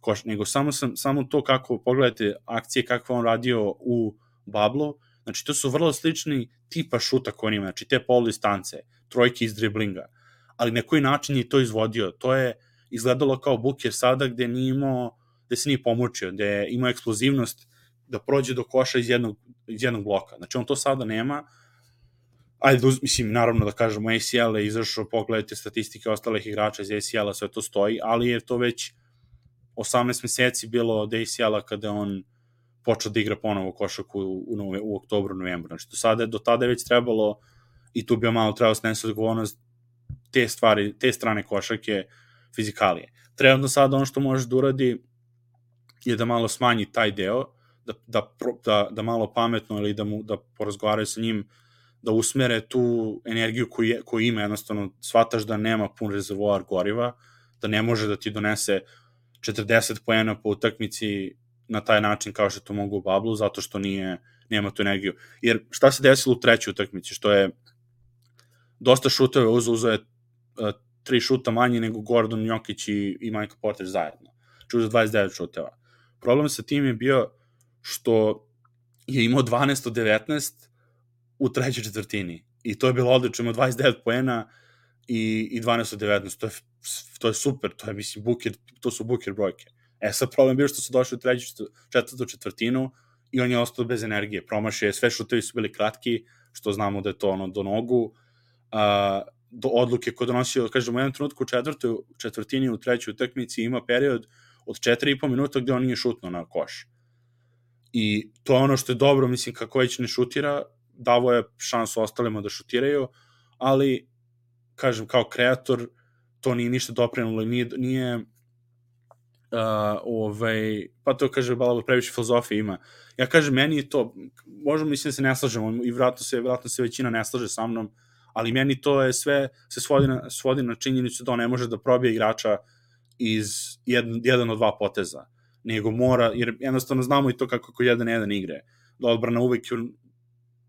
koš, nego samo, sam, samo to kako, pogledajte akcije kakve on radio u bubble, znači to su vrlo slični tipa šuta koji on ima, znači te pol distance, trojke iz driblinga, ali na koji način je to izvodio, to je izgledalo kao Booker sada gde nije imao, gde se nije pomoćio, gde je imao eksplozivnost da prođe do koša iz jednog, iz jednog bloka, znači on to sada nema. Ajde, mislim, naravno da kažemo, A C L je izašao, pogledajte statistike ostalih igrača iz A C L-a, sve to stoji, ali je to već osamnaest meseci bilo od A C L-a kada on počeo da igra ponovo košarku u, u, u oktobru, novembru. Znači, do, sada, do tada je već trebalo, i tu bi malo trebalo snesi odgovornost te stvari, te strane košarke, fizikalije. Trenutno sada ono što može da uradi je da malo smanji taj deo, da, da, da, da malo pametno ili da, mu, da porazgovaraju sa njim, da usmere tu energiju koju, je, koju ima, jednostavno shvataš da nema pun rezervoar goriva, da ne može da ti donese četrdeset poena po utakmici na taj način kao što to mogu u Bablu, zato što nije, nema tu energiju. Jer šta se desilo u trećoj utakmici, što je dosta šutove uzo, uzo je uh, tri šuta manje nego Gordon, Jokić i, i Michael Porter zajedno. Znači uzo dvadeset devet šuteva. Problem sa tim je bio što je imao dvanaest od devetnaest u trećoj četvrtini. I to je bilo odlično, imao dvadeset devet poena i, i dvanaest od devetnaest. To je, to je super, to je, mislim, Booker, to su Booker brojke. E sad problem bio što su došli u treću četvrtu četvrtinu i on je ostao bez energije. Promašio je, sve šutevi su bili kratki, što znamo da je to ono do nogu. Uh, do odluke koje donosio, kažemo, u jednom trenutku u četvrtoj četvrtini u trećoj utakmici ima period od četiri i po minuta gde on nije šutno na koš. I to je ono što je dobro, mislim, kako već ne šutira, davo je šansu ostalima da šutiraju, ali, kažem, kao kreator, to nije ništa doprinulo, nije, nije uh, ovaj, pa to kaže, bala previše filozofije ima. Ja kažem, meni je to, možemo, mislim da se ne slažemo, i vratno se, vratno se većina ne slaže sa mnom, ali meni to je sve, se svodi na, svodi na činjenicu da on ne može da probije igrača iz jedan, jedan od dva poteza, nego mora, jer jednostavno znamo i to kako kod jedan jedan igre, da odbrana uvek,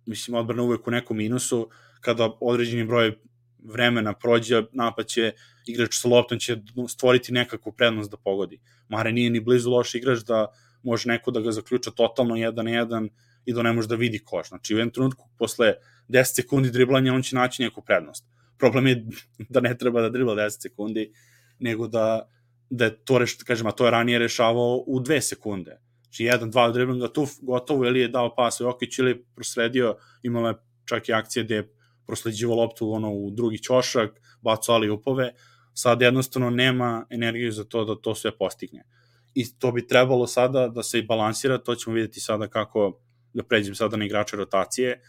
mislim, odbrana uvek u nekom minusu, kada određeni broj vremena prođe, napad će, igrač sa loptom će stvoriti nekakvu prednost da pogodi. Mare nije ni blizu loš igrač da može neko da ga zaključa totalno jedan na jedan i da ne može da vidi koš. Znači, u jednom trenutku, posle deset sekundi driblanja, on će naći neku prednost. Problem je da ne treba da dribla deset sekundi, nego da, da je to, reš, kažem, a to je ranije rešavao u dve sekunde. Znači, jedan, dva driblinga tu gotovo, ili je dao pas u Jokić, ili prosledio, imala je čak i akcije gde je prosleđivo loptu ono, u drugi ćošak, bacao ali upove, sad jednostavno nema energiju za to da to sve postigne. I to bi trebalo sada da se i balansira, to ćemo vidjeti sada kako, da pređem sada na igrače rotacije,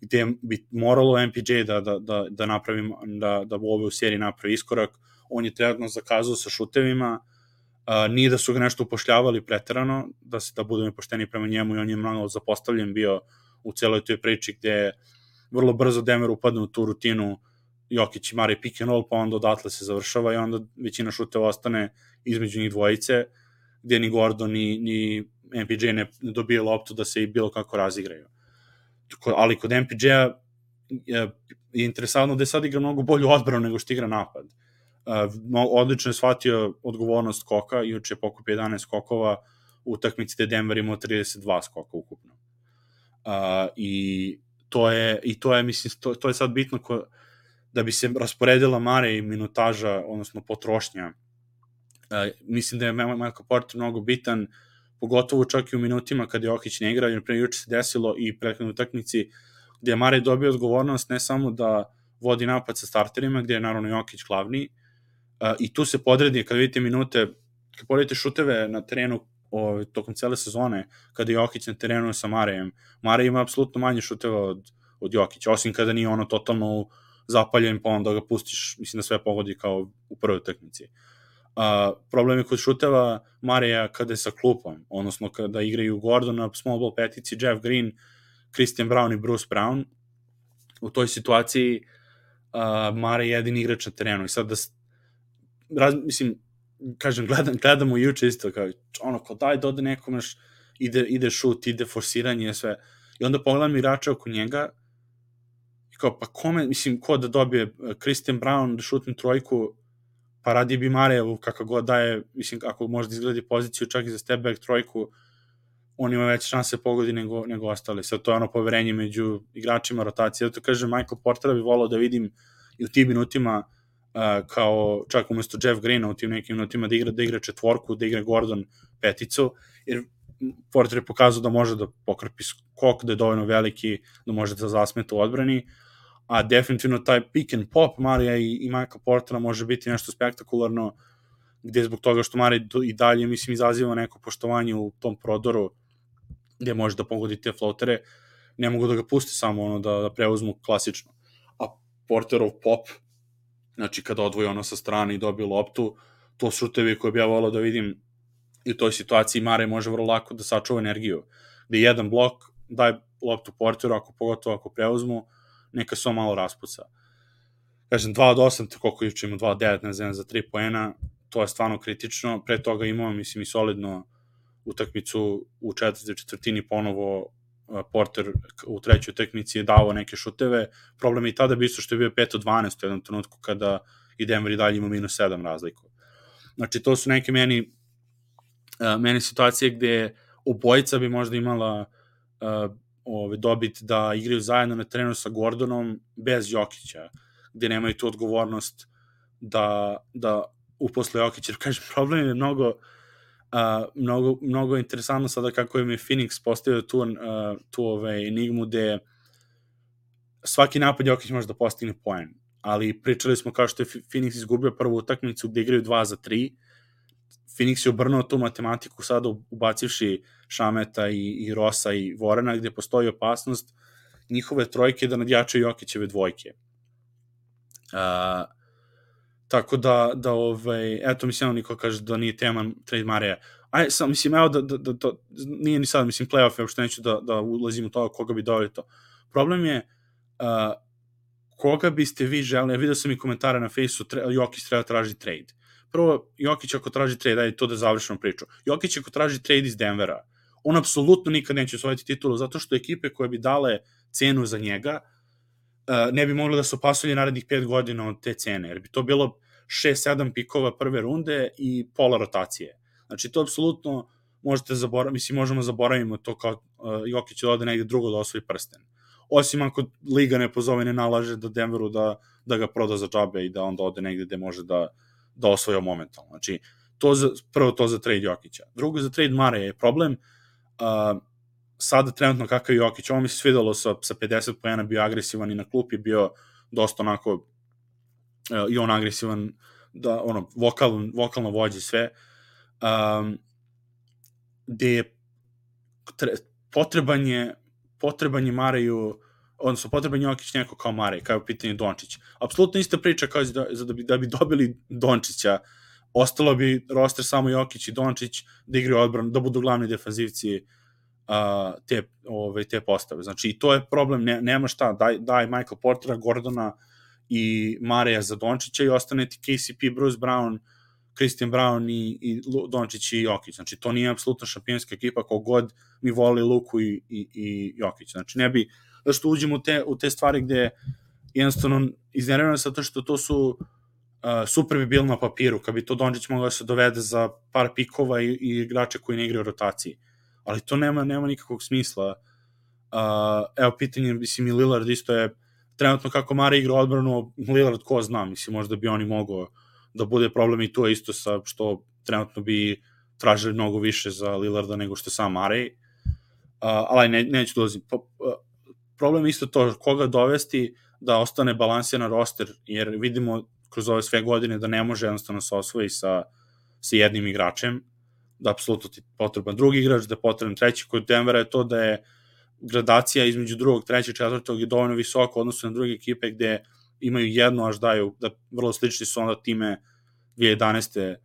gde bi moralo M P J da, da, da, da napravim, da, da u ovoj seriji napravi iskorak. On je trenutno zakazao sa šutevima, Uh, nije da su ga nešto upošljavali preterano, da se da budemo pošteni prema njemu, i on je malo zapostavljen bio u celoj toj priči gde vrlo brzo Denver upadne u tu rutinu Jokić i Mare pick and roll, pa onda odatle se završava i onda većina šuteva ostane između njih dvojice, gde ni Gordon ni, ni M P J ne dobije loptu da se i bilo kako razigraju. Ali kod M P J-a je, je interesantno da je sad igra mnogo bolju odbranu nego što igra napad. Uh, odlično je shvatio odgovornost skoka, juče je pokupio jedanaest skokova u utakmici gde Denver imao trideset dva skoka ukupno. Uh, i, to je, I to je, mislim, to, to je sad bitno ko, da bi se rasporedila Mare i minutaža, odnosno potrošnja Uh, mislim da je Michael Porter mnogo bitan, pogotovo čak i u minutima kada Jokić ne igra, jer pre juče se desilo i prethodnoj utakmici gde je Mare dobio odgovornost ne samo da vodi napad sa starterima, gde je naravno Jokić glavni, uh, i tu se podredi, kada vidite minute, kada poredite šuteve na terenu o, tokom cele sezone, kada je Jokić na terenu sa Marejem, Mare ima apsolutno manje šuteva od, od Jokića, osim kada nije ono totalno zapaljen, pa onda ga pustiš, mislim da sve pogodi kao u prvoj utakmici. Uh, problem je kod šuteva Mareja kada je sa klupom, odnosno kada igraju Gordon, small ball petici, Jeff Green, Christian Brown i Bruce Brown. U toj situaciji uh, Mare je jedini igrač na terenu i sad da raz, mislim, kažem, gledam, gledamo juče isto kao, ono, kao daj da ode nekom naš, ide, ide šut, ide forsiranje, sve, i onda pogledam igrača oko njega i kao, pa kome, mislim, ko da dobije Christian Brown da šutne trojku, pa radi bi Marejevu kakav god daje, mislim, ako može da izgledi poziciju čak i za step back trojku, on ima veće šanse pogodi nego, nego ostali. Sad to je ono poverenje među igračima rotacije. Zato kažem, Michael Portera bi volao da vidim i u tim minutima uh, kao čak umesto Jeff Greena u tim nekim minutima da igra, da igra četvorku, da igra Gordon peticu, jer Porter je pokazao da može da pokrpi skok, da je dovoljno veliki, da može da zasmeta u odbrani, a definitivno taj pick and pop Marija i, i Michael Portera može biti nešto spektakularno, gde zbog toga što Marija i dalje, mislim, izaziva neko poštovanje u tom prodoru, gde može da pogodi te floatere, ne mogu da ga pusti samo ono da, da preuzmu klasično. A Porterov pop, znači kada odvoji ono sa strane i dobije loptu, to su šutevi koje bi ja volao da vidim i u toj situaciji Mare može vrlo lako da sačuva energiju. Gde jedan blok, daj loptu Porteru, ako pogotovo ako preuzmu, neka se on malo raspuca. Kažem, dva od osam, koliko juče ima dva od devet, ne znam, za tri poena, to je stvarno kritično. Pre toga imao, mislim, i solidno utakmicu u četvrtoj četvrtini ponovo Porter u trećoj utakmici je dao neke šuteve. Problem je i tada bi isto što je bio pet od dvanaest u jednom trenutku kada i Denver i dalje ima minus sedam razliku. Znači, to su neke meni meni situacije gde obojica bi možda imala uh, ove, dobit da igraju zajedno na terenu sa Gordonom bez Jokića, gde nemaju tu odgovornost da, da uposle Jokića. Jer, kažem, problem je mnogo, uh, mnogo, mnogo interesantno sada kako je mi Phoenix postavio tu, uh, tu ove, enigmu gde svaki napad Jokić može da postigne poen, ali pričali smo kao što je Phoenix izgubio prvu utakmicu gde igraju dva za tri, Phoenix je obrnuo tu matematiku sada ubacivši Šameta i, i Rosa i Vorena, gde postoji opasnost njihove trojke da nadjačaju Jokićeve dvojke. Uh, tako da, da ovaj, eto, mislim, niko kaže da nije tema trade Mareja. Aj, sam, mislim, evo da, da, da to, nije ni sad, mislim, playoff, evo što neću da, da ulazim u to, koga bi doveli to. Problem je, uh, koga biste vi želeli, ja vidio sam i komentare na Facebooku, Jokić treba traži trade. Prvo, Jokić ako traži trade, ajde to da završimo priču. Jokić ako traži trade iz Denvera, on apsolutno nikad neće osvojiti titulu, zato što ekipe koje bi dale cenu za njega ne bi mogli da se opasulje narednih pet godina od te cene, jer bi to bilo šest sedam pikova prve runde i pola rotacije. Znači, to apsolutno možete zaboraviti, mislim, možemo zaboravimo to kao Jokić da ode negde drugo da osvoji prsten. Osim ako liga ne pozove, ne nalaže da Denveru da, da ga proda za džabe i da onda ode negde gde može da da osvoja momentalno. Znači, to za, prvo to za trade Jokića. Drugo za trade Mare je problem. Uh, sada trenutno kakav je Jokić, ovo mi se svidalo sa, sa pedeset poena, bio agresivan i na klupi bio dosta onako uh, i on agresivan, da, ono, vokal, vokalno vođe sve. Um, gde je tre, potreban je potreban je Mareju, odnosno potreban Jokić neko kao Marej, kao je pitanje Dončić. Apsolutno ista priča kao da, da, bi, da bi dobili Dončića, ostalo bi roster samo Jokić i Dončić da igraju odbranu, da budu glavni defanzivci uh, te, ove, te postave. Znači, i to je problem, ne, nema šta, daj, daj Michael Portera, Gordona i Mareja za Dončića i ostane ti K C P, Bruce Brown, Christian Brown i, i Dončić i Jokić. Znači, to nije apsolutno šampionska ekipa, kogod mi voli Luku i, i, i Jokić. Znači, ne bi da što uđemo u te, u te stvari gde jednostavno iznervirano zato što to su uh, super bi bilo na papiru, kad bi to Dončić mogao da se dovede za par pikova i, i igrače koji ne igraju u rotaciji. Ali to nema, nema nikakvog smisla. Uh, evo, pitanje, mislim, i Lillard isto je trenutno kako Mare igra odbranu, Lillard ko zna, mislim, možda bi oni mogao da bude problem i to isto sa što trenutno bi tražili mnogo više za Lillarda nego što sam Murray, uh, ali ne, neću dolazim. Po, uh, problem je isto to koga dovesti da ostane balansiran roster, jer vidimo kroz ove sve godine da ne može jednostavno se osvoji sa, sa jednim igračem, da apsolutno ti potreban drugi igrač, da je potreban treći. Kod Denvera je to da je gradacija između drugog, trećeg, četvrtog je dovoljno visoko odnosno na druge ekipe gde imaju jedno, až daju, da vrlo slični su onda time dve hiljade jedanaeste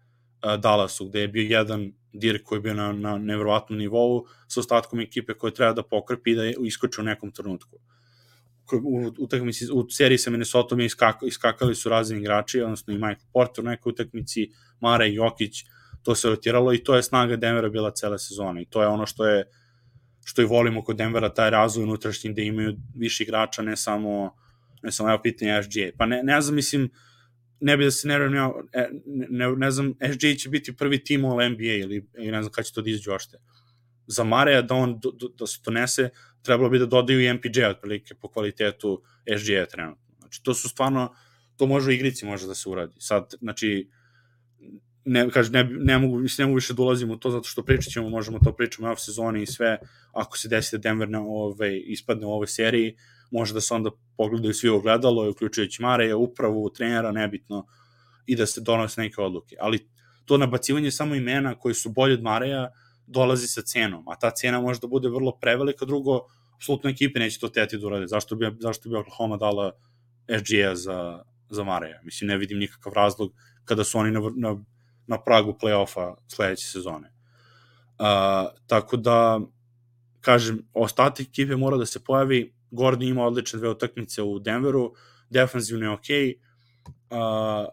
uh, Dallasu, gde je bio jedan Dirk koji je bio na, na nevjerovatnom nivou sa ostatkom ekipe koje treba da pokrpi i da je iskoči u nekom trenutku. U, utakmici, u seriji sa Minnesotom je iskak, iskakali su razni igrači, odnosno i Michael Porter u nekoj utakmici, Mare i Jokić, to se rotiralo i to je snaga Denvera bila cele sezone i to je ono što je što i volimo kod Denvera, taj razvoj unutrašnji gde imaju više igrača, ne samo ne samo evo pitanje S G A. Pa ne, ne znam, mislim, ne bi da se ne ne, ne, ne znam, S G A će biti prvi tim u N B A ili, ili ne znam kada će to da izađe ošte. Za Mareja da on do, do, da se donese, trebalo bi da dodaju i M P J otprilike po kvalitetu S G A trenutno. Znači, to su stvarno, to može u igrici može da se uradi. Sad, znači, ne, kaže, ne, ne, mogu, mislim, ne mogu više da ulazim u to zato što pričat ćemo, možemo to pričamo u off sezoni i sve, ako se desi da Denver na ove, ispadne u ovoj seriji, može da se onda pogledaju svi ogledalo, uključujući Mareja, upravu, trenera, nebitno, i da se donose neke odluke. Ali to nabacivanje samo imena koji su bolji od Mareja dolazi sa cenom, a ta cena može da bude vrlo prevelika, drugo, apsolutno ekipe neće to teti da urade. Zašto bi, zašto bi Oklahoma dala S G A za, za Mareja? Mislim, ne vidim nikakav razlog kada su oni na, na, na pragu play-offa sledeće sezone. Uh, tako da, kažem, ostatak ekipe mora da se pojavi. Gordon ima odlične dve utakmice u Denveru, defanzivno je okej, okay. uh,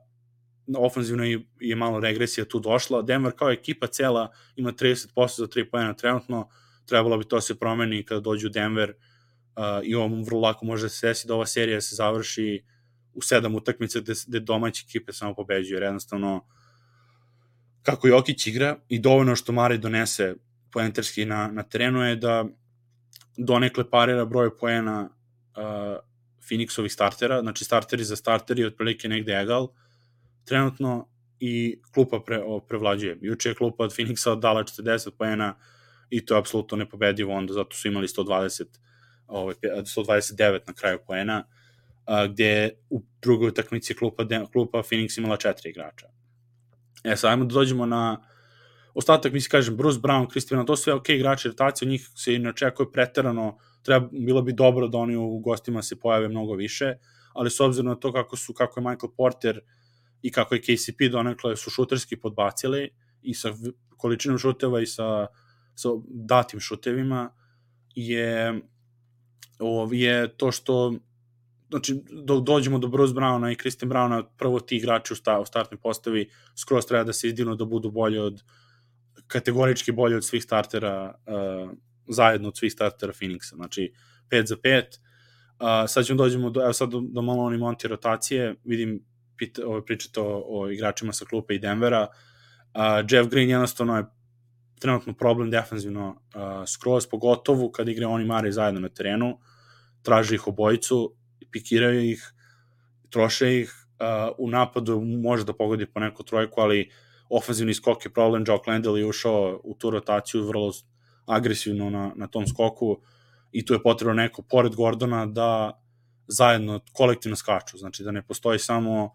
ofanzivno je, je malo regresija tu došla. Denver kao ekipa cela ima trideset posto za tri poena trenutno, trebalo bi to se promeni kada dođu u Denver uh, i ovo vrlo lako može se desiti da ova serija se završi u sedam utakmica gde, gde domaće ekipe samo pobeđuju, jer jednostavno kako Jokić igra i dovoljno što Mare donese poenterski na, na terenu je da donekle parira broj poena uh, Phoenixovih startera, znači starteri za starteri otprilike negde egal trenutno i klupa pre, o, prevlađuje. Juče je klupa od Phoenixa dala četrdeset poena i to je apsolutno nepobedivo, onda zato su imali sto dvadeset, ovaj, sto dvadeset devet na kraju poena, a, gde u drugoj utakmici klupa, klupa Phoenix imala četiri igrača. E, sad ajmo da dođemo na ostatak, mislim, kažem, Bruce Brown, Christian, to sve ok igrači, rotacija, od njih se i ne očekuje preterano, treba, bilo bi dobro da oni u gostima se pojave mnogo više, ali s obzirom na to kako su, kako je Michael Porter i kako je K C P donekle su šuterski podbacili i sa količinom šuteva i sa, sa datim šutevima je, ov, je to što znači, dok dođemo do Bruce Browna i Christian Browna, prvo ti igrači u, sta, u startnoj postavi skroz treba da se izdivnu da budu bolje od kategorički bolje od svih startera uh, zajedno od svih startera Phoenixa, znači pet za pet. Uh, sad ćemo dođemo do, evo sad do, do malo oni monti rotacije, vidim pita, ovo, pričate o, o igračima sa klupe i Denvera. Uh, Jeff Green jednostavno je trenutno problem defanzivno uh, skroz, pogotovo kad igre oni Mare zajedno na terenu, traže ih obojicu, pikiraju ih, troše ih, uh, u napadu može da pogodi po neku trojku, ali ofanzivni skok je problem. Jock Landale je ušao u tu rotaciju vrlo agresivno na, na tom skoku i tu je potrebno neko pored Gordona da zajedno kolektivno skaču, znači da ne postoji samo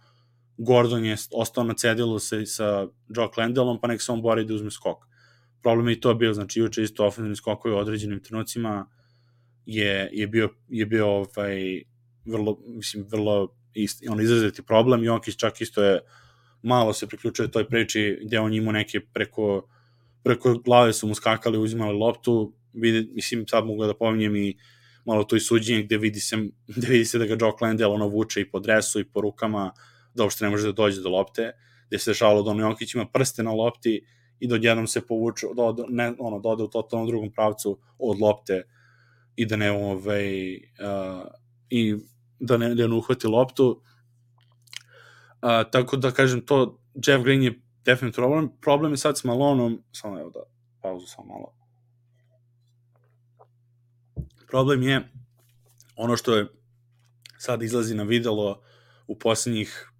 Gordon je ostao na cedilu sa, sa Jock Landaleom pa nek se on bori da uzme skok. Problem je i to bio, znači juče isto ofanzivni skokovi u određenim trenucima je, je bio, je bio ovaj, vrlo, mislim, vrlo ist, on izraziti problem. Jokić čak isto je malo se priključuje toj priči gde on imao neke preko, preko glave su mu skakali, uzimali loptu, vidi, mislim sad mogu da pominjem i malo to i suđenje gde vidi se, gde vidi se da ga Jock Landale ono vuče i po dresu i po rukama, da uopšte ne može da dođe do lopte, gde se dešavalo da ono Jokić ima prste na lopti i da odjednom se povuče, da, ne, ono, da ode u totalnom drugom pravcu od lopte i da ne, ovaj, uh, i da ne, da ne uhvati loptu. Uh, tako da kažem to, Jeff Green je definitivno problem, problem je sad s Malonom, samo evo da pauzu samo malo. Problem je ono što je sad izlazi na videlo u poslednjih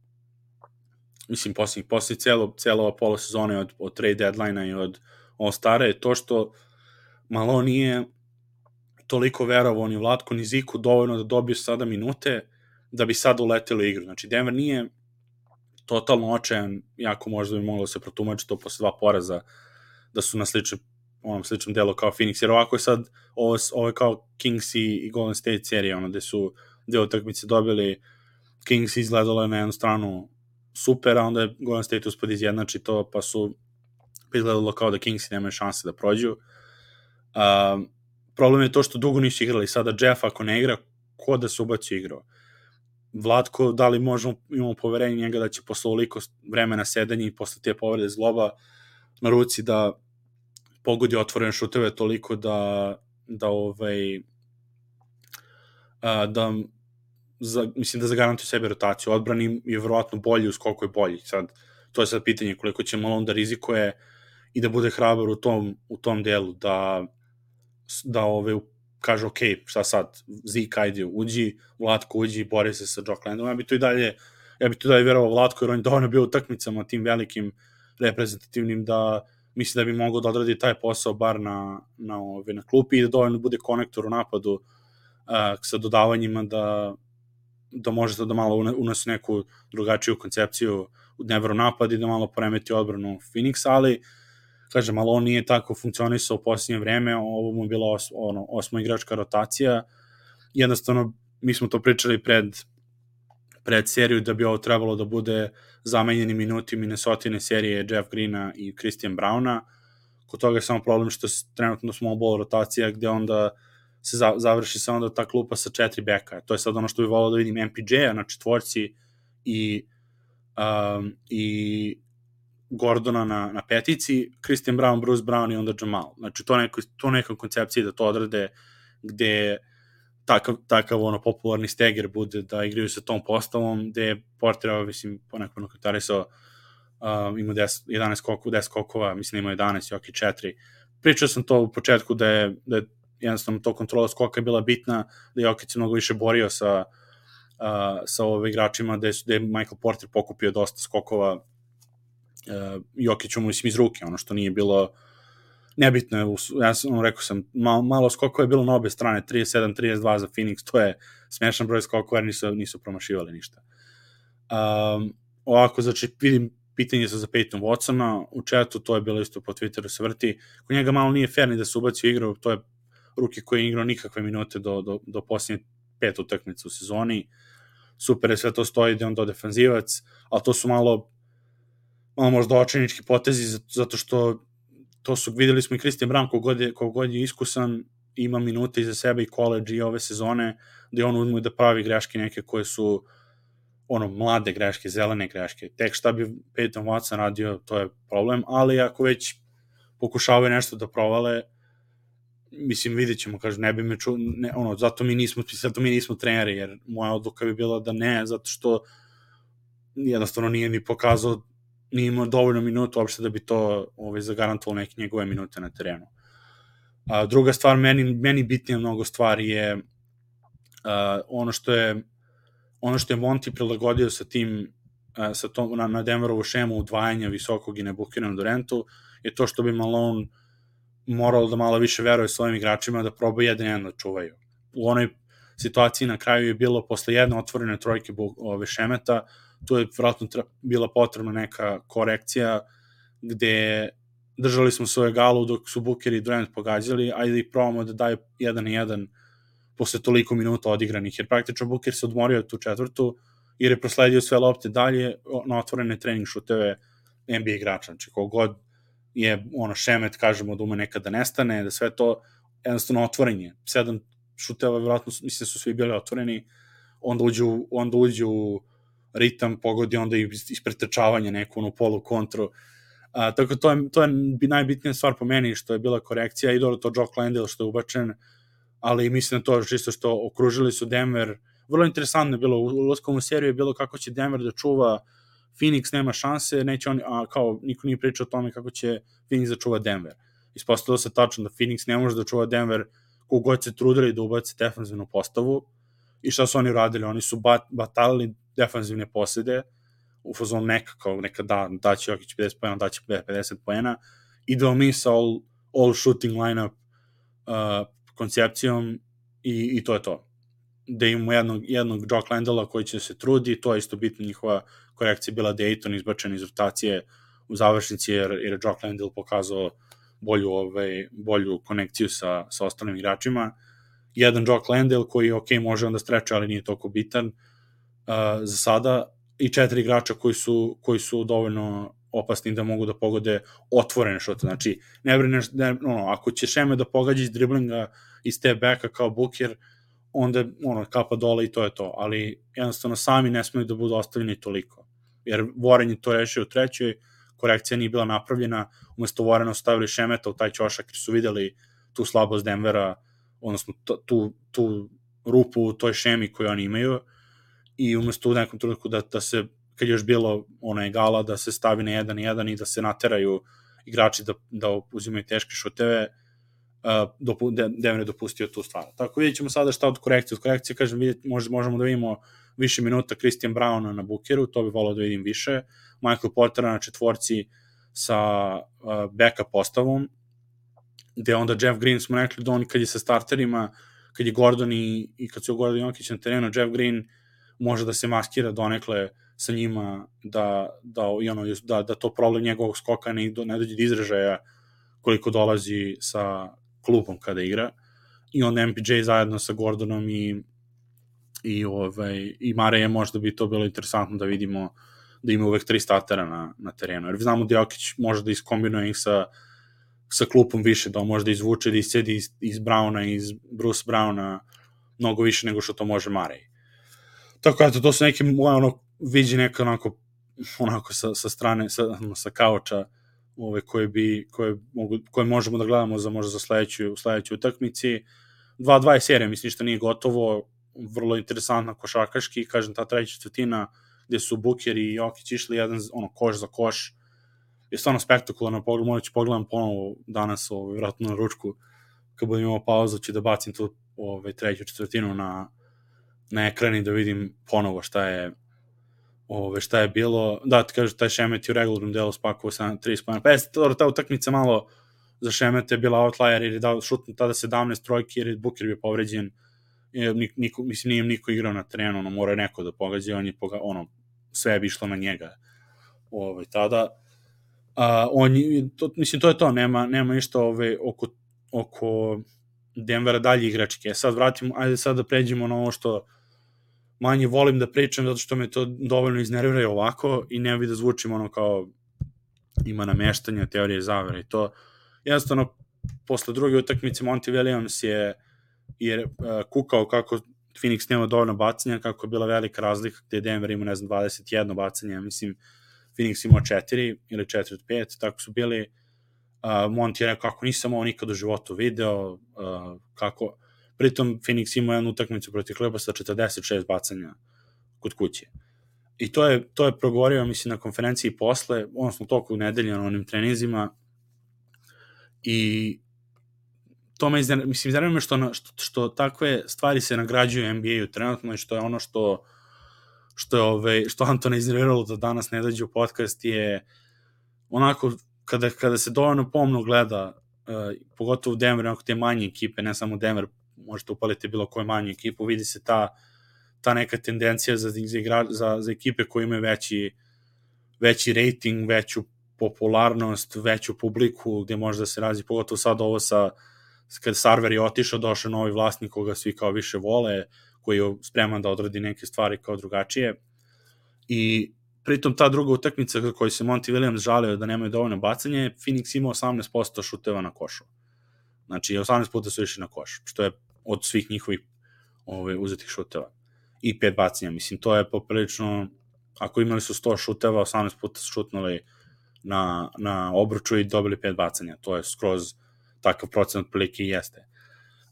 mislim, posljednjih, posljednjih cijelo, cijelo ova pola sezone od, od trade deadline-a i od All-Stara je to što malo nije toliko verovao ni Vlatko ni Ziku dovoljno da dobiju sada minute da bi sad uleteli igru. Znači, Denver nije totalno očajan, jako možda bi moglo se protumačiti to posle dva poraza, da su na sličnom, onom sličnom delu kao Phoenix, jer ovako je sad, ovo, ovo je kao Kings i, i Golden State serija, ono, gde su deo utakmice dobili, Kings izgledalo je na jednu stranu super, a onda je Golden State uspod izjednači to, pa su izgledalo kao da Kingsi nemaju šanse da prođu. Uh, problem je to što dugo nisu igrali, sada Jeff ako ne igra, ko da se ubaci igrao? Vlatko, da li možemo, imamo poverenje njega da će posle ovoliko vremena sedanja i posle te povrede zgloba na ruci da pogodi otvorene šuteve toliko da da ovaj a, da za, mislim da zagarantuje sebi rotaciju. Odbrani je verovatno bolji, u skoku je bolji. Sad, to je sad pitanje koliko će Malone da rizikuje i da bude hrabar u tom, u tom delu, da da ovaj, kaže, ok, šta sad, Zeke, ajde, uđi, Vlatko uđi, bori se sa Jock Landom. Ja bi to i dalje, ja bi to i dalje verovao Vlatko, jer on je dovoljno bio u utakmicama tim velikim reprezentativnim da mislim da bi mogao da odradi taj posao bar na, na, ove, na klupi i da dovoljno bude konektor u napadu uh, sa dodavanjima da, da možete da malo unese neku drugačiju koncepciju u Denveru napad i da malo poremeti odbranu Phoenixa, ali kažem, ali on nije tako funkcionisao u posljednje vreme, ovo mu je bila os, ono, osmo igračka rotacija, jednostavno mi smo to pričali pred, pred seriju da bi ovo trebalo da bude zamenjeni minuti Minnesotine serije Jeff Greena i Christian Browna. Kod toga je samo problem što trenutno small ball rotacija gde onda se za, završi se onda ta klupa sa četiri beka. To je sad ono što bih volao da vidim M P J-a na četvorci i, um, i Gordona na, na petici, Christian Brown, Bruce Brown i onda Jamal. Znači to, neko, to neka koncepcija da to odrade gde takav, takav ono popularni steger bude da igraju sa tom postavom, gde je Porter, mislim, ponekako komentarisao, um, ima deset, jedanaest skokova, deset skokova, mislim ima jedanaest, Jokić četiri. Pričao sam to u početku da je, da je jednostavno to kontrola skoka je bila bitna, da je Jokić se mnogo više borio sa, uh, sa ove igračima, da je, da je Michael Porter pokupio dosta skokova uh, Jokiću mu mislim iz ruke, ono što nije bilo nebitno je, ja sam ono, rekao sam, malo, malo skokova je bilo na obe strane, trideset sedam trideset dva za Phoenix, to je smešan broj skokova jer nisu, nisu promašivali ništa. Um, ovako, znači, vidim pitanje sa za Peyton Watsona, u chatu to je bilo isto po Twitteru se vrti, kod njega malo nije fair ni da se ubaci u igru, to je ruki koji je igrao nikakve minute do, do, do posljednje pet utakmica u sezoni, super je sve to stoji da je on do defanzivac, ali to su malo, malo možda očajnički potezi, zato što to su, videli smo i Christian Brown kogod je, kogod je iskusan, ima minute iza sebe i college i ove sezone, gde on ume da pravi greške neke koje su ono, mlade greške, zelene greške. Tek šta bi Peyton Watson radio, to je problem, ali ako već pokušavaju nešto da provale, mislim, vidjet ćemo, kažu, ne bi me ču, ne, ono, zato mi nismo, zato mi nismo treneri, jer moja odluka bi bila da ne, zato što jednostavno nije ni pokazao, nije imao dovoljno minuta uopšte da bi to ovaj, zagarantovalo neke njegove minute na terenu. A, druga stvar, meni, meni bitnija mnogo stvari je a, ono što je ono što je Monty prilagodio sa tim a, sa tom, na, na Denverovu šemu udvajanja visokog i nebukiranog Durantu je to što bi Malone moralo da malo više veruje svojim igračima da probaju jedan jedan da čuvaju. U onoj situaciji na kraju je bilo posle jedne otvorene trojke ove Šemeta, tu je vratno bila potrebna neka korekcija gde držali smo svoje galu dok su Booker i Durant pogađali, ajde i probamo da daju jedan na jedan posle toliko minuta odigranih, jer praktično Booker se odmorio tu četvrtu jer je prosledio sve lopte dalje na otvorene trening šuteve N B A igrača. Znači, kogod je ono Šemet, kažemo, da ume nekada nestane, da sve to jednostavno otvorenje. Sedam šuteva, vjerojatno, mislim su svi bili otvoreni, onda uđu, onda uđu u ritam, pogodi onda i ispretrčavanje neku ono polu kontru. A, tako to je, to je najbitnija stvar po meni, što je bila korekcija i dobro to Jock Landale što je ubačen, ali mislim da to čisto što okružili su Denver. Vrlo interesantno je bilo, u ulaskom u seriju je bilo kako će Denver da čuva Phoenix, nema šanse, neće oni, a kao niko nije pričao o tome kako će Phoenix da čuva Denver. Ispostavilo se tačno da Phoenix ne može da čuva Denver kogod se trudili da ubace defanzivnu postavu i šta su oni radili? Oni su bat, batalili defanzivne posede, u fazonu neka, kao neka da, daće Jokić pedeset poena, daće pedeset poena, idemo mi sa all, all shooting lineup uh, koncepcijom i, i to je to. Da imamo jednog, jednog Jock Landela koji će se trudi, to je isto bitno, njihova korekcija bila da je Ayton izbačen iz rotacije u završnici, jer, jer je Jock Landell pokazao bolju, ovaj, bolju konekciju sa, sa ostalim igračima. Jedan Jock Landell koji, ok, može onda streče, ali nije toliko bitan uh, za sada, i četiri igrača koji su, koji su dovoljno opasni da mogu da pogode otvorene šute. Znači, ne brineš, ne, ono, ako će Šeme da pogađa iz driblinga, iz te beka kao Booker, onda ono, kapa dole i to je to. Ali jednostavno sami ne smeju da budu ostavljeni toliko. Jer Warren je to rešio u trećoj, korekcija nije bila napravljena, umesto Warrena stavili Šemeta u taj ćošak jer su videli tu slabost Denvera, odnosno tu, tu rupu u toj šemi koju oni imaju, i umesto u nekom trenutku da, da se, kad je još bilo ona egala, da se stavi na jedan jedan i da se nateraju igrači da, da uzimaju teške šuteve, uh, dopu, Denver je dopustio tu stvar. Tako vidjet ćemo sada šta od korekcije. Od korekcije, kažem, vidjet, možda možemo da vidimo više minuta Christian Browna na Bookeru, to bi volao da vidim više, Michael Portera na četvorci sa uh, backup postavom, gde onda Jeff Green smo rekli da on kad je sa starterima, kad je Gordon i, i kad su Gordon i Jokić na terenu, Jeff Green može da se maskira donekle sa njima, da, da, i ono, da, da to problem njegovog skoka ne, ne dođe do izražaja koliko dolazi sa klubom kada igra. I onda M P J zajedno sa Gordonom i i, ovaj, i Mareje možda bi to bilo interesantno da vidimo da ima uvek tri startera na, na terenu. Jer znamo da Jokić može da iskombinuje ih sa, sa klupom više, da on može da izvuče, da iscedi iz, iz Browna, iz Bruce Browna mnogo više nego što to može Marej. Tako eto, to su neke moje ono, vidi neka onako, onako sa, sa strane, sa, sa kauča, ove, koje, bi, koje, mogu, koje možemo da gledamo za, možda za sledeću, sledeću utakmici. dva dva je serija, mislim što nije gotovo, vrlo interesantna košarkaški, kažem, ta treća četvrtina gde su Booker i Jokić išli jedan ono, koš za koš, je stvarno spektakularno pogled, možda ću pogledam ponovo danas, ovaj, vratno na ručku, kad budem imao pauzu, ću da bacim tu ovaj, treću četvrtinu na, na ekran i da vidim ponovo šta je ove, šta je bilo. Da, ti kažu, taj Šemet je u regularnom delu spakovao sa trideset pojena. Pa jeste, ta utakmica malo za Šemete je bila outlier, jer je dao šutno tada sedamnaest trojki, jer je Booker bio povređen. Niko, mislim, nije niko igrao na terenu, ono, mora neko da pogađa, on je poga, ono, sve bi išlo na njega ove, tada. A, on, to, mislim, to je to, nema, nema ništa ove, oko, oko Denvera dalje igračke. Sad vratimo, ajde sad da pređemo na ovo što manje volim da pričam, zato što me to dovoljno iznervira ovako i ne bi da zvučim ono kao ima nameštanja, teorije zavere i to. Jednostavno, posle druge utakmice Monty Williams je, je uh, kukao kako Phoenix nema dovoljno bacanja, kako je bila velika razlika gde Denver ima, ne znam, dvadeset jedno bacanje, mislim, Phoenix imao četiri ili četiri od pet, tako su bili. Uh, Monty je rekao kako nisam ovo nikad u životu video, uh, kako pritom Phoenix imao jednu utakmicu protiv Clippersa sa četrdeset šest bacanja kod kuće. I to je, to je progovorio, mislim, na konferenciji posle, odnosno toku nedelje na onim treninzima, i to me iznervira, mislim, iznervira me što, što, što takve stvari se nagrađuju u N B A-u trenutno i što je ono što što je ove, što Antona iznerviralo da danas ne dođe u podcast je onako, kada, kada se dovoljno pomno gleda, uh, pogotovo u Denver, onako te manje ekipe, ne samo Denver, možete upaliti bilo koju manju ekipu, vidi se ta, ta neka tendencija za, za, igra, za, za ekipe koje imaju veći, veći rating, veću popularnost, veću publiku, gde može da se razi, pogotovo sad ovo sa, kad Sarver je otišao, došao novi vlasnik koga svi kao više vole, koji je spreman da odradi neke stvari kao drugačije. I pritom ta druga utakmica koju se Monty Williams žalio da nemaju dovoljno bacanje, Phoenix ima osamnaest posto šuteva na košu. Znači, osamnaest puta su išli na koš, što je od svih njihovih ove, uzetih šuteva. I pet bacanja, mislim, to je poprilično, ako imali su sto šuteva, osamnaest puta su šutnuli na, na obruču i dobili pet bacanja. To je skroz takav procenat prilike i jeste.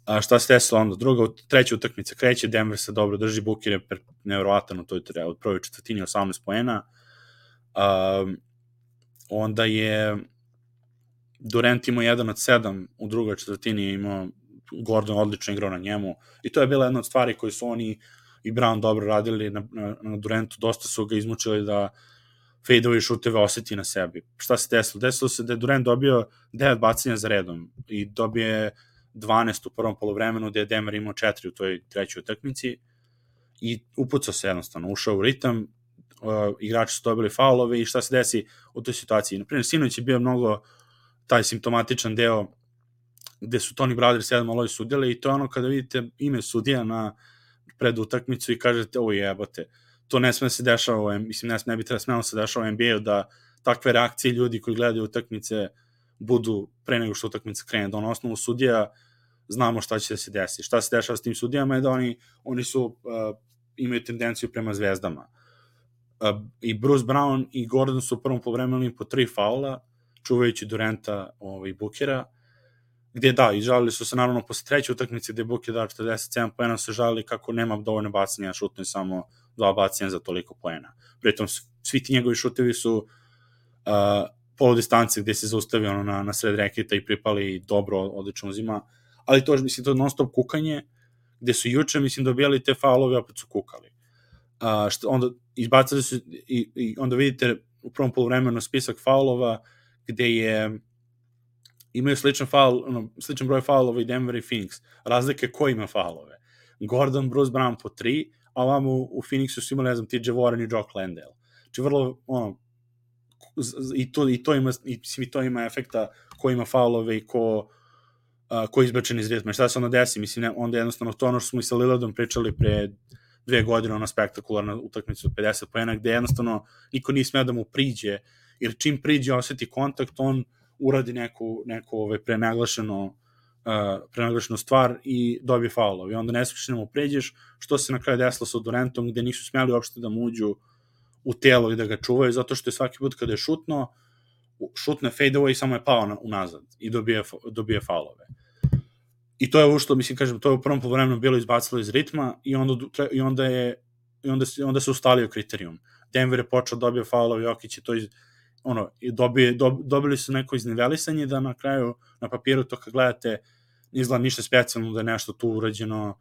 A šta se desilo onda? Druga, treća utakmica kreće, Denver se dobro drži, Booker je nevjerovatan u toj od prvoj četvrtini, osamnaest poena. Um, onda je Durant imao jedan od sedam, u drugoj četvrtini imao Gordon odlično igrao na njemu i to je bila jedna od stvari koje su oni i Brown dobro radili na, na, na Durantu, dosta su ga izmučili da fade-ove šuteve oseti na sebi. Šta se desilo? Desilo se da je Durant dobio devet bacanja za redom i dobije dvanaest u prvom polovremenu, gde je Denver imao četiri u toj trećoj utakmici i upucao se jednostavno, ušao u ritam, uh, igrači su dobili faulove i šta se desi u toj situaciji. Naprimjer, sinoć je bio mnogo taj simptomatičan deo gde su Tony Brothers jedan malo sudjeli i to je ono kada vidite ime sudija na pred utakmicu i kažete, o jebote, to ne sme da se dešava, mislim, ne, sme, ne bi treba smelo se dešava u N B A-u da takve reakcije ljudi koji gledaju utakmice budu pre nego što utakmica krene, da na osnovu sudija znamo šta će da se desi. Šta se dešava s tim sudijama je da oni, oni su, uh, imaju tendenciju prema zvezdama. Uh, I Bruce Brown i Gordon su u prvom polovremenu po tri faula, čuvajući Duranta ovaj, Bookera, gde da, i žalili su se naravno posle treće utakmice gde Booker dao četrdeset sedam poena, se žalili kako nema dovoljno bacanja, šutne samo dva bacanja za toliko poena. Pritom svi ti njegovi šutevi su uh, polu distance gde se zaustavio ono, na, na sred reketa i pripali dobro, odlično uzima, ali to je, mislim, to non stop kukanje, gde su juče, mislim, dobijali te faulove, opet su kukali. Uh, što, onda izbacali su i, i onda vidite u prvom poluvremenu spisak faulova gde je imaju sličan faul, ono, sličan broj faulova i Denver i Phoenix. Razlike ko ima faulove. Gordon, Bruce Brown po tri, a ovamo u Phoenixu su imali, ne znam, T J Warren i Jock Landale. Znači vrlo, ono, i to, i to ima, i, i to ima efekta ko ima faulove i ko, uh, ko je izbačen iz ritma. Šta se onda desi? Mislim, ne, onda jednostavno to ono što smo i sa Lillardom pričali pre dve godine, ona spektakularna utakmica od pedeset poena, gde jednostavno niko nije smeo da mu priđe, jer čim priđe oseti kontakt, on uradi neku, neku ovaj, prenaglašeno, uh, prenaglašenu stvar i dobije faulov. I onda ne smiješ da mu pređeš, što se na kraju desilo sa Durantom, gde nisu smjeli uopšte da mu uđu u telo i da ga čuvaju, zato što je svaki put kada je šutno, šutne fade-away i samo je pao na, unazad i dobije, dobije faulove. I to je ušto, mislim, kažem, to je u prvom poluvremenu bilo izbacilo iz ritma i onda, i onda, je, i onda, se, onda se ustalio kriterijum. Denver je počeo dobio faulove, Jokić je to iz, ono, dobije, dob, dobili su neko iznivelisanje da na kraju, na papiru to kad gledate, izgleda ništa specijalno da je nešto tu urađeno,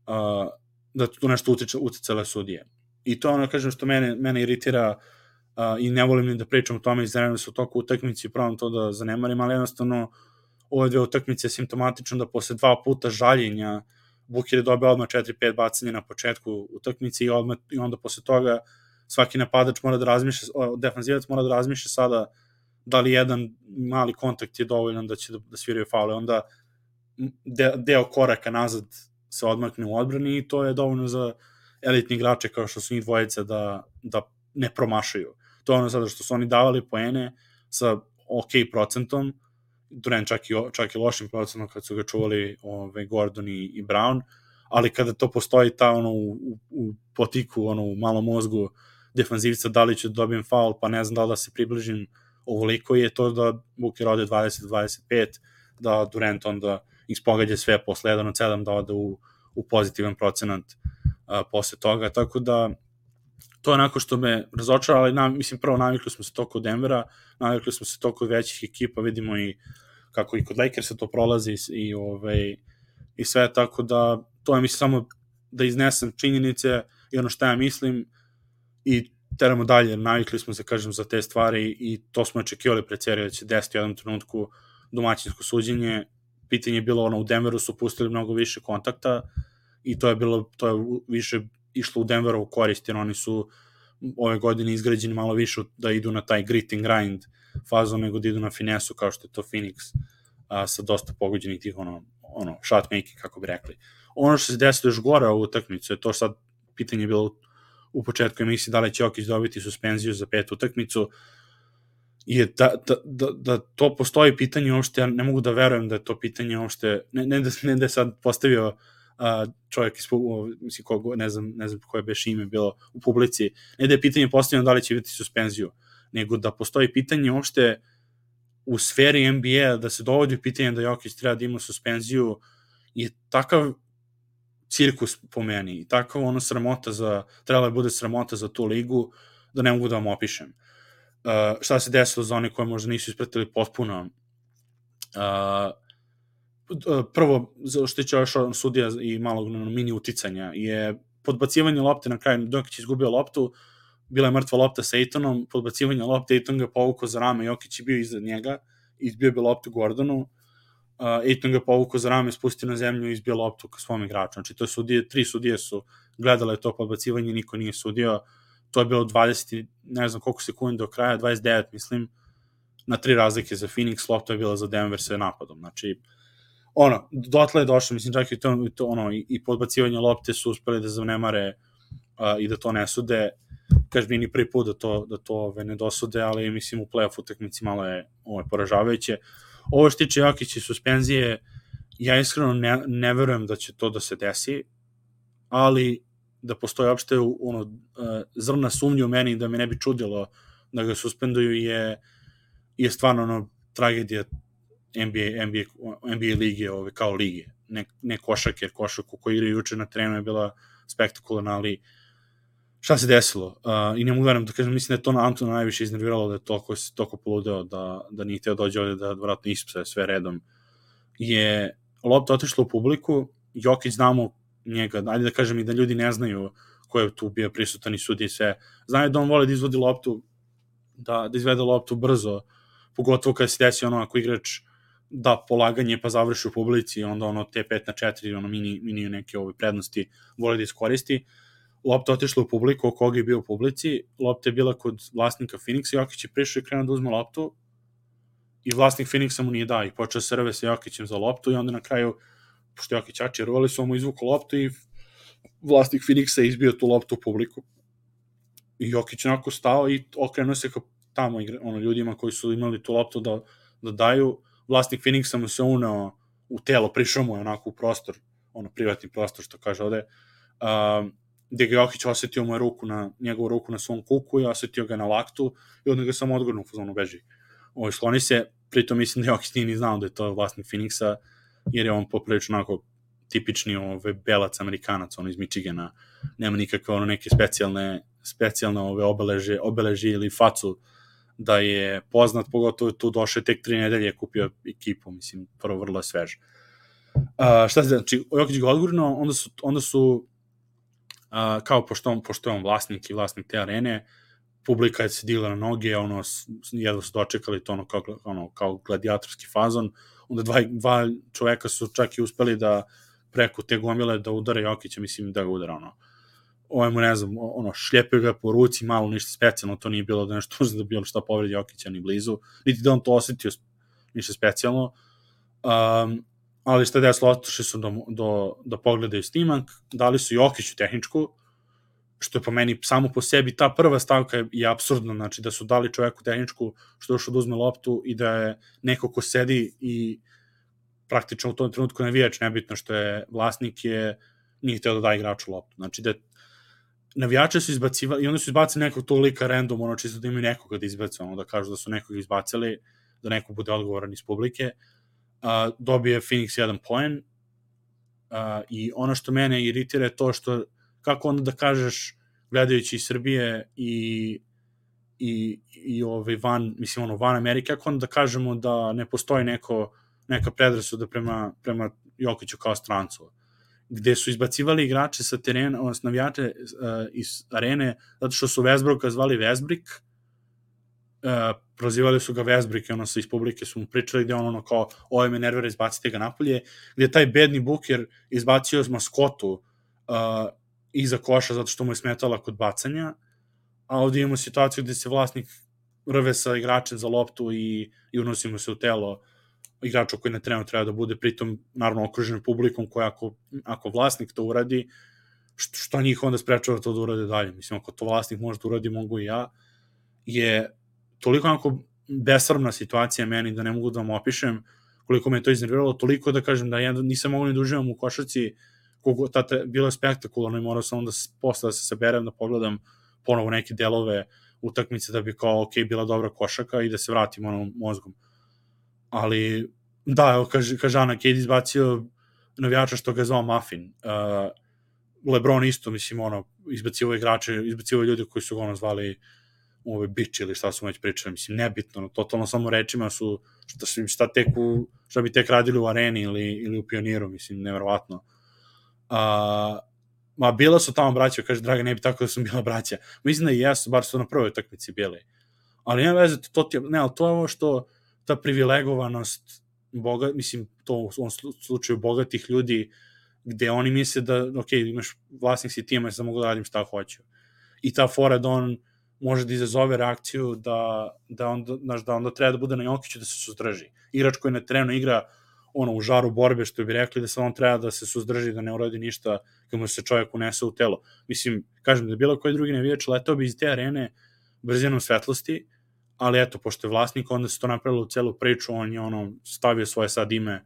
uh, da tu nešto utiče, uticale sudije. I to ono, kažem, što mene, mene iritira uh, i ne volim ni da pričam o tome, izgledam se u toku utakmici i pravom to da zanemarim, ali jednostavno ove dve utakmice je simptomatično da posle dva puta žaljenja Booker je dobio odmah četiri pet bacanja na početku utakmice i, odmah, i onda posle toga svaki napadač mora da razmišlja, defanzivac mora da razmišlja sada da li jedan mali kontakt je dovoljan da će da, da sviraju faule, onda de, deo koraka nazad se odmakne u odbrani i to je dovoljno za elitni igrače kao što su njih dvojica da, da ne promašaju. To je ono sada što su oni davali poene sa ok procentom, Durant čak i, čak i lošim procentom kad su ga čuvali ove, Gordon i, i Brown, ali kada to postoji ta ono u, u, u potiku, ono u malom mozgu defanzivca, da li ću da dobijem faul, pa ne znam da li da se približim ovoliko, je to da Booker ode dvadeset dvadeset pet, da Durant onda ispogađa sve posle jedan od sedam, da ode u, u pozitivan procenat uh, posle toga, tako da to je onako što me razočara, ali na, mislim prvo navikli smo se to kod Denvera, navikli smo se to kod većih ekipa, vidimo i kako i kod Lakersa to prolazi i, ovaj, i sve, tako da to je mislim samo da iznesem činjenice i ono što ja mislim i teramo dalje, navikli smo se, kažem, za te stvari i to smo očekivali pred seriju da će desiti u jednom trenutku domaćinsko suđenje. Pitanje je bilo, ono, u Denveru su pustili mnogo više kontakta i to je bilo, to je više išlo u Denveru u korist, jer oni su ove godine izgrađeni malo više da idu na taj grit and grind fazu nego da idu na finesu kao što je to Phoenix a, sa dosta pogođenih tih ono, ono shot making, kako bi rekli. Ono što se desilo još gore ovu utakmicu je to sad pitanje je bilo u početku emisije da li će Jokić dobiti suspenziju za petu utakmicu, je da, da, da, da to postoji pitanje uopšte, ja ne mogu da verujem da je to pitanje uopšte, ne, ne, da, ne da je sad postavio uh, čovjek iz, mislim, kogo, ne znam, ne znam koje beš ime bilo u publici, ne da je pitanje postavljeno da li će biti suspenziju, nego da postoji pitanje uopšte u sferi N B A da se dovodi pitanje da Jokić treba da ima suspenziju, je takav cirkus po meni i takav ono sramota za, trebala je bude sramota za tu ligu, da ne mogu da vam opišem. Uh, šta se desilo za one koje možda nisu ispratili potpuno. Uh, prvo, što će još sudija i malog mini uticanja, je podbacivanje lopte na kraju, dok će izgubio loptu, bila je mrtva lopta sa Aytonom, podbacivanje lopte, Ayton ga povukao za rame, Jokić je bio iza njega, izbio bi loptu Gordonu, uh, Ayton ga povukao za rame, spustio na zemlju i izbio loptu ka svom igraču. Znači, to je sudije, tri sudije su gledale to podbacivanje, niko nije sudio, to je bilo dvadeset, ne znam koliko sekundi do kraja, dvadeset devet, mislim, na tri razlike za Phoenix, lopta je bila za Denver sa napadom. Znači, ono, dotle je došlo, mislim, čak i to, to ono, i, i podbacivanje lopte su uspeli da zanemare uh, i da to ne sude. Kažem, nije ni prvi put da to, da to ove, ne dosude, ali mislim u play-off utakmici malo je ove, poražavajuće. Ovo što tiče Jokić i suspenzije, ja iskreno ne, ne verujem da će to da se desi, ali da postoje opšte ono, uh, zrna sumnje u meni da me ne bi čudilo da ga suspenduju je, je stvarno ono, tragedija N B A, N B A, N B A lige ove, kao lige. Ne, ne košak, jer košaku koji igraju juče na terenu je bila spektakularna, ali šta se desilo? Uh, I ne mogu verujem da kažem, mislim da je to na Antona najviše iznerviralo, da je toliko, toliko poludeo, da, da nije hteo dođe ovde, da vratno ispse sve redom. Je lopta otišla u publiku, Jokić znamo njega, ajde da kažem i da ljudi ne znaju ko je tu bio prisutan i sudi i sve. Znaju da on voli da izvodi loptu, da, da izvede loptu brzo, pogotovo kada se desi ono ako igrač da polaganje pa završi u publici, onda ono te pet na četiri, ono mini, mini neke ove prednosti voli da iskoristi. Lopta otišla u publiku, oko koga je bio u publici, lopta je bila kod vlasnika Phoenixa, Jokić je prišao i krenuo da uzme loptu i vlasnik Phoenixa mu nije dao i počeo se rve sa Jokićem za loptu i onda na kraju, pošto Jokić jači rovali su, mu izvuku loptu i vlasnik Phoenixa je izbio tu loptu u publiku. I Jokić onako stao i okrenuo se ka tamo ono, ljudima koji su imali tu loptu da, da daju. Vlasnik Phoenixa mu se uneo u telo, prišao mu je onako u prostor, ono privatni prostor što kaže ovde, um, gde ga Jokić osetio mu je ruku na, njegovu ruku na svom kuku i osetio ga na laktu i onda ga samo odgurnu u fazonu beži. Ovo, skloni se, pritom mislim da Jokić nije ni znao da je to vlasnik Phoenixa, jer je on poprilično onako tipični ove, belac Amerikanac, ono iz Michigana, nema nikakve ono neke specijalne, specijalne ove obeleže, obeleže ili facu da je poznat, pogotovo tu došao tek tri nedelje, kupio ekipu, mislim, prvo vrlo svež. Uh, šta se, znači, Jokić ga odgurno, onda su, onda su Uh, kao pošto on, pošto je on vlasnik i vlasnik te arene, publika je se digla na noge, ono, jedva su dočekali to ono kao, ono, kao gladijatorski fazon, onda dva, dva čoveka su čak i uspeli da preko te gomile da udare Jokića, mislim da ga udara, ono, ovo mu ne znam, ono, šljepio ga po ruci, malo ništa specijalno, to nije bilo da nešto da bilo šta povredi Jokića ni blizu, niti da on to osetio ništa specijalno, um, ali šta je desilo, otišli su do, do, da pogledaju snimak, dali su Jokiću tehničku, što je po meni samo po sebi, ta prva stavka je, je apsurdna, znači da su dali čoveku tehničku što je došao da uzme loptu i da je neko ko sedi i praktično u tom trenutku navijač, nebitno što je vlasnik, je nije hteo da da igraču loptu. Znači da navijače su izbacivali i onda su izbacili nekog tog lika random, ono čisto da imaju nekoga da izbacu, ono da kažu da su nekog izbacili, da neko bude odgovoran iz publike. Uh, dobije Phoenix jedan poen uh, i ono što mene iritira je to što kako onda da kažeš gledajući iz Srbije i i, i ovaj van, mislim ono van Amerike, kako onda da kažemo da ne postoji neko, neka predrasuda prema, prema Jokiću kao strancu, gde su izbacivali igrače sa terena, odnosno navijače uh, iz arene, zato što su Westbrooka zvali Westbrick, Uh, prozivali su ga Westbrick i ono sa iz publike su mu pričali gde on ono kao ovo me nervira, izbacite ga napolje, gde je taj bedni Booker izbacio maskotu uh, iza koša zato što mu je smetala kod bacanja, a ovdje imamo situaciju gde se vlasnik rve sa igračem za loptu i, i unosi mu se u telo igrača koji na terenu treba da bude, pritom naravno okružen publikom koja ako, ako vlasnik to uradi, što, što njih onda sprečava to da urade dalje, mislim ako to vlasnik može da uradi, mogu i ja, je toliko onako besramna situacija meni da ne mogu da vam opišem koliko me to iznerviralo, toliko da kažem da ja nisam mogu ni da uživam u košarci, koliko tada bilo spektakularno i morao sam onda posle da se saberem, da pogledam ponovo neke delove utakmice da bi kao ok, bila dobra košaka i da se vratim onom mozgom. Ali da, evo kaže, kaže Ana, Cade izbacio navijača što ga je zvao Muffin. Uh, LeBron isto, mislim, ono, izbacivo igrače, izbacivo ljudi koji su ga ono zvali ove bić ili šta su već pričali, mislim, nebitno, no, totalno samo rečima su, šta, šta, tek u, šta bi tek radili u areni ili, ili u Pioniru, mislim, nevjerovatno. A, ma bila su tamo braća, kaže Draga, ne bi tako da su bila braća. Mislim da i jesu, bar su na prvoj utakmici bili. Ali nema veze, to ti je, ne, ali to je ovo što ta privilegovanost, boga, mislim, to u ovom slučaju bogatih ljudi, gde oni misle da, ok, imaš vlasnik si tima, da mogu da radim šta hoću. I ta fora da on može da izazove reakciju da, da, onda, znaš, da onda treba da bude na Jokiću da se suzdrži. Igrač koji na terenu igra ono, u žaru borbe, što bi rekli, da se on treba da se suzdrži, da ne uradi ništa kad mu se čovjek unese u telo. Mislim, kažem, da je bilo koji drugi navijač letao bi iz te arene brzinom svetlosti, ali eto, pošto je vlasnik, onda se to napravilo u celu priču, on je ono, stavio svoje sad ime,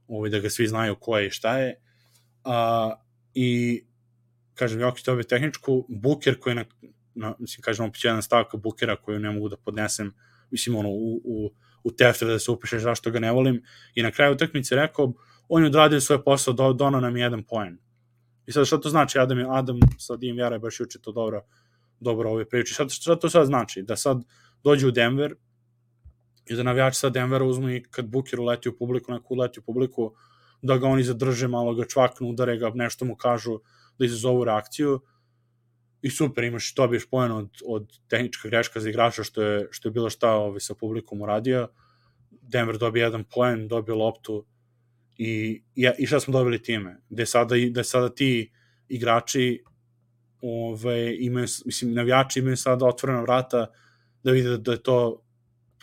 ovaj, da ga svi znaju ko je i šta je. A, I, kažem, Jokić dobije tehničku, Buker koji je na, na mislim, kažem, opet jedan stavka Bukera koju ne mogu da podnesem, mislim, ono, u, u, u tefter da se upišeš zašto ga ne volim, i na kraju utakmice rekao, on je odradio svoj posao, do, donao nam jedan poen. I sad, šta to znači? Adam, Adam sa Dim Vjera je baš juče to dobro, dobro ove priči. Šta, šta to sad znači? Da sad dođe u Denver i da navijači sa Denvera uzmu i kad Booker uleti u publiku, neku uleti u publiku, da ga oni zadrže, malo ga čvaknu, udare ga, nešto mu kažu, da izazovu reakciju. I super, imaš, dobiješ poen od, od tehnička greška za igrača, što je, što je bilo šta ovaj, sa publikom uradio. Denver dobije jedan poen, dobije loptu i, i, i šta smo dobili time? Gde sada, da sada ti igrači ovaj, imaju, mislim, navijači imaju sada otvorena vrata da vide da je to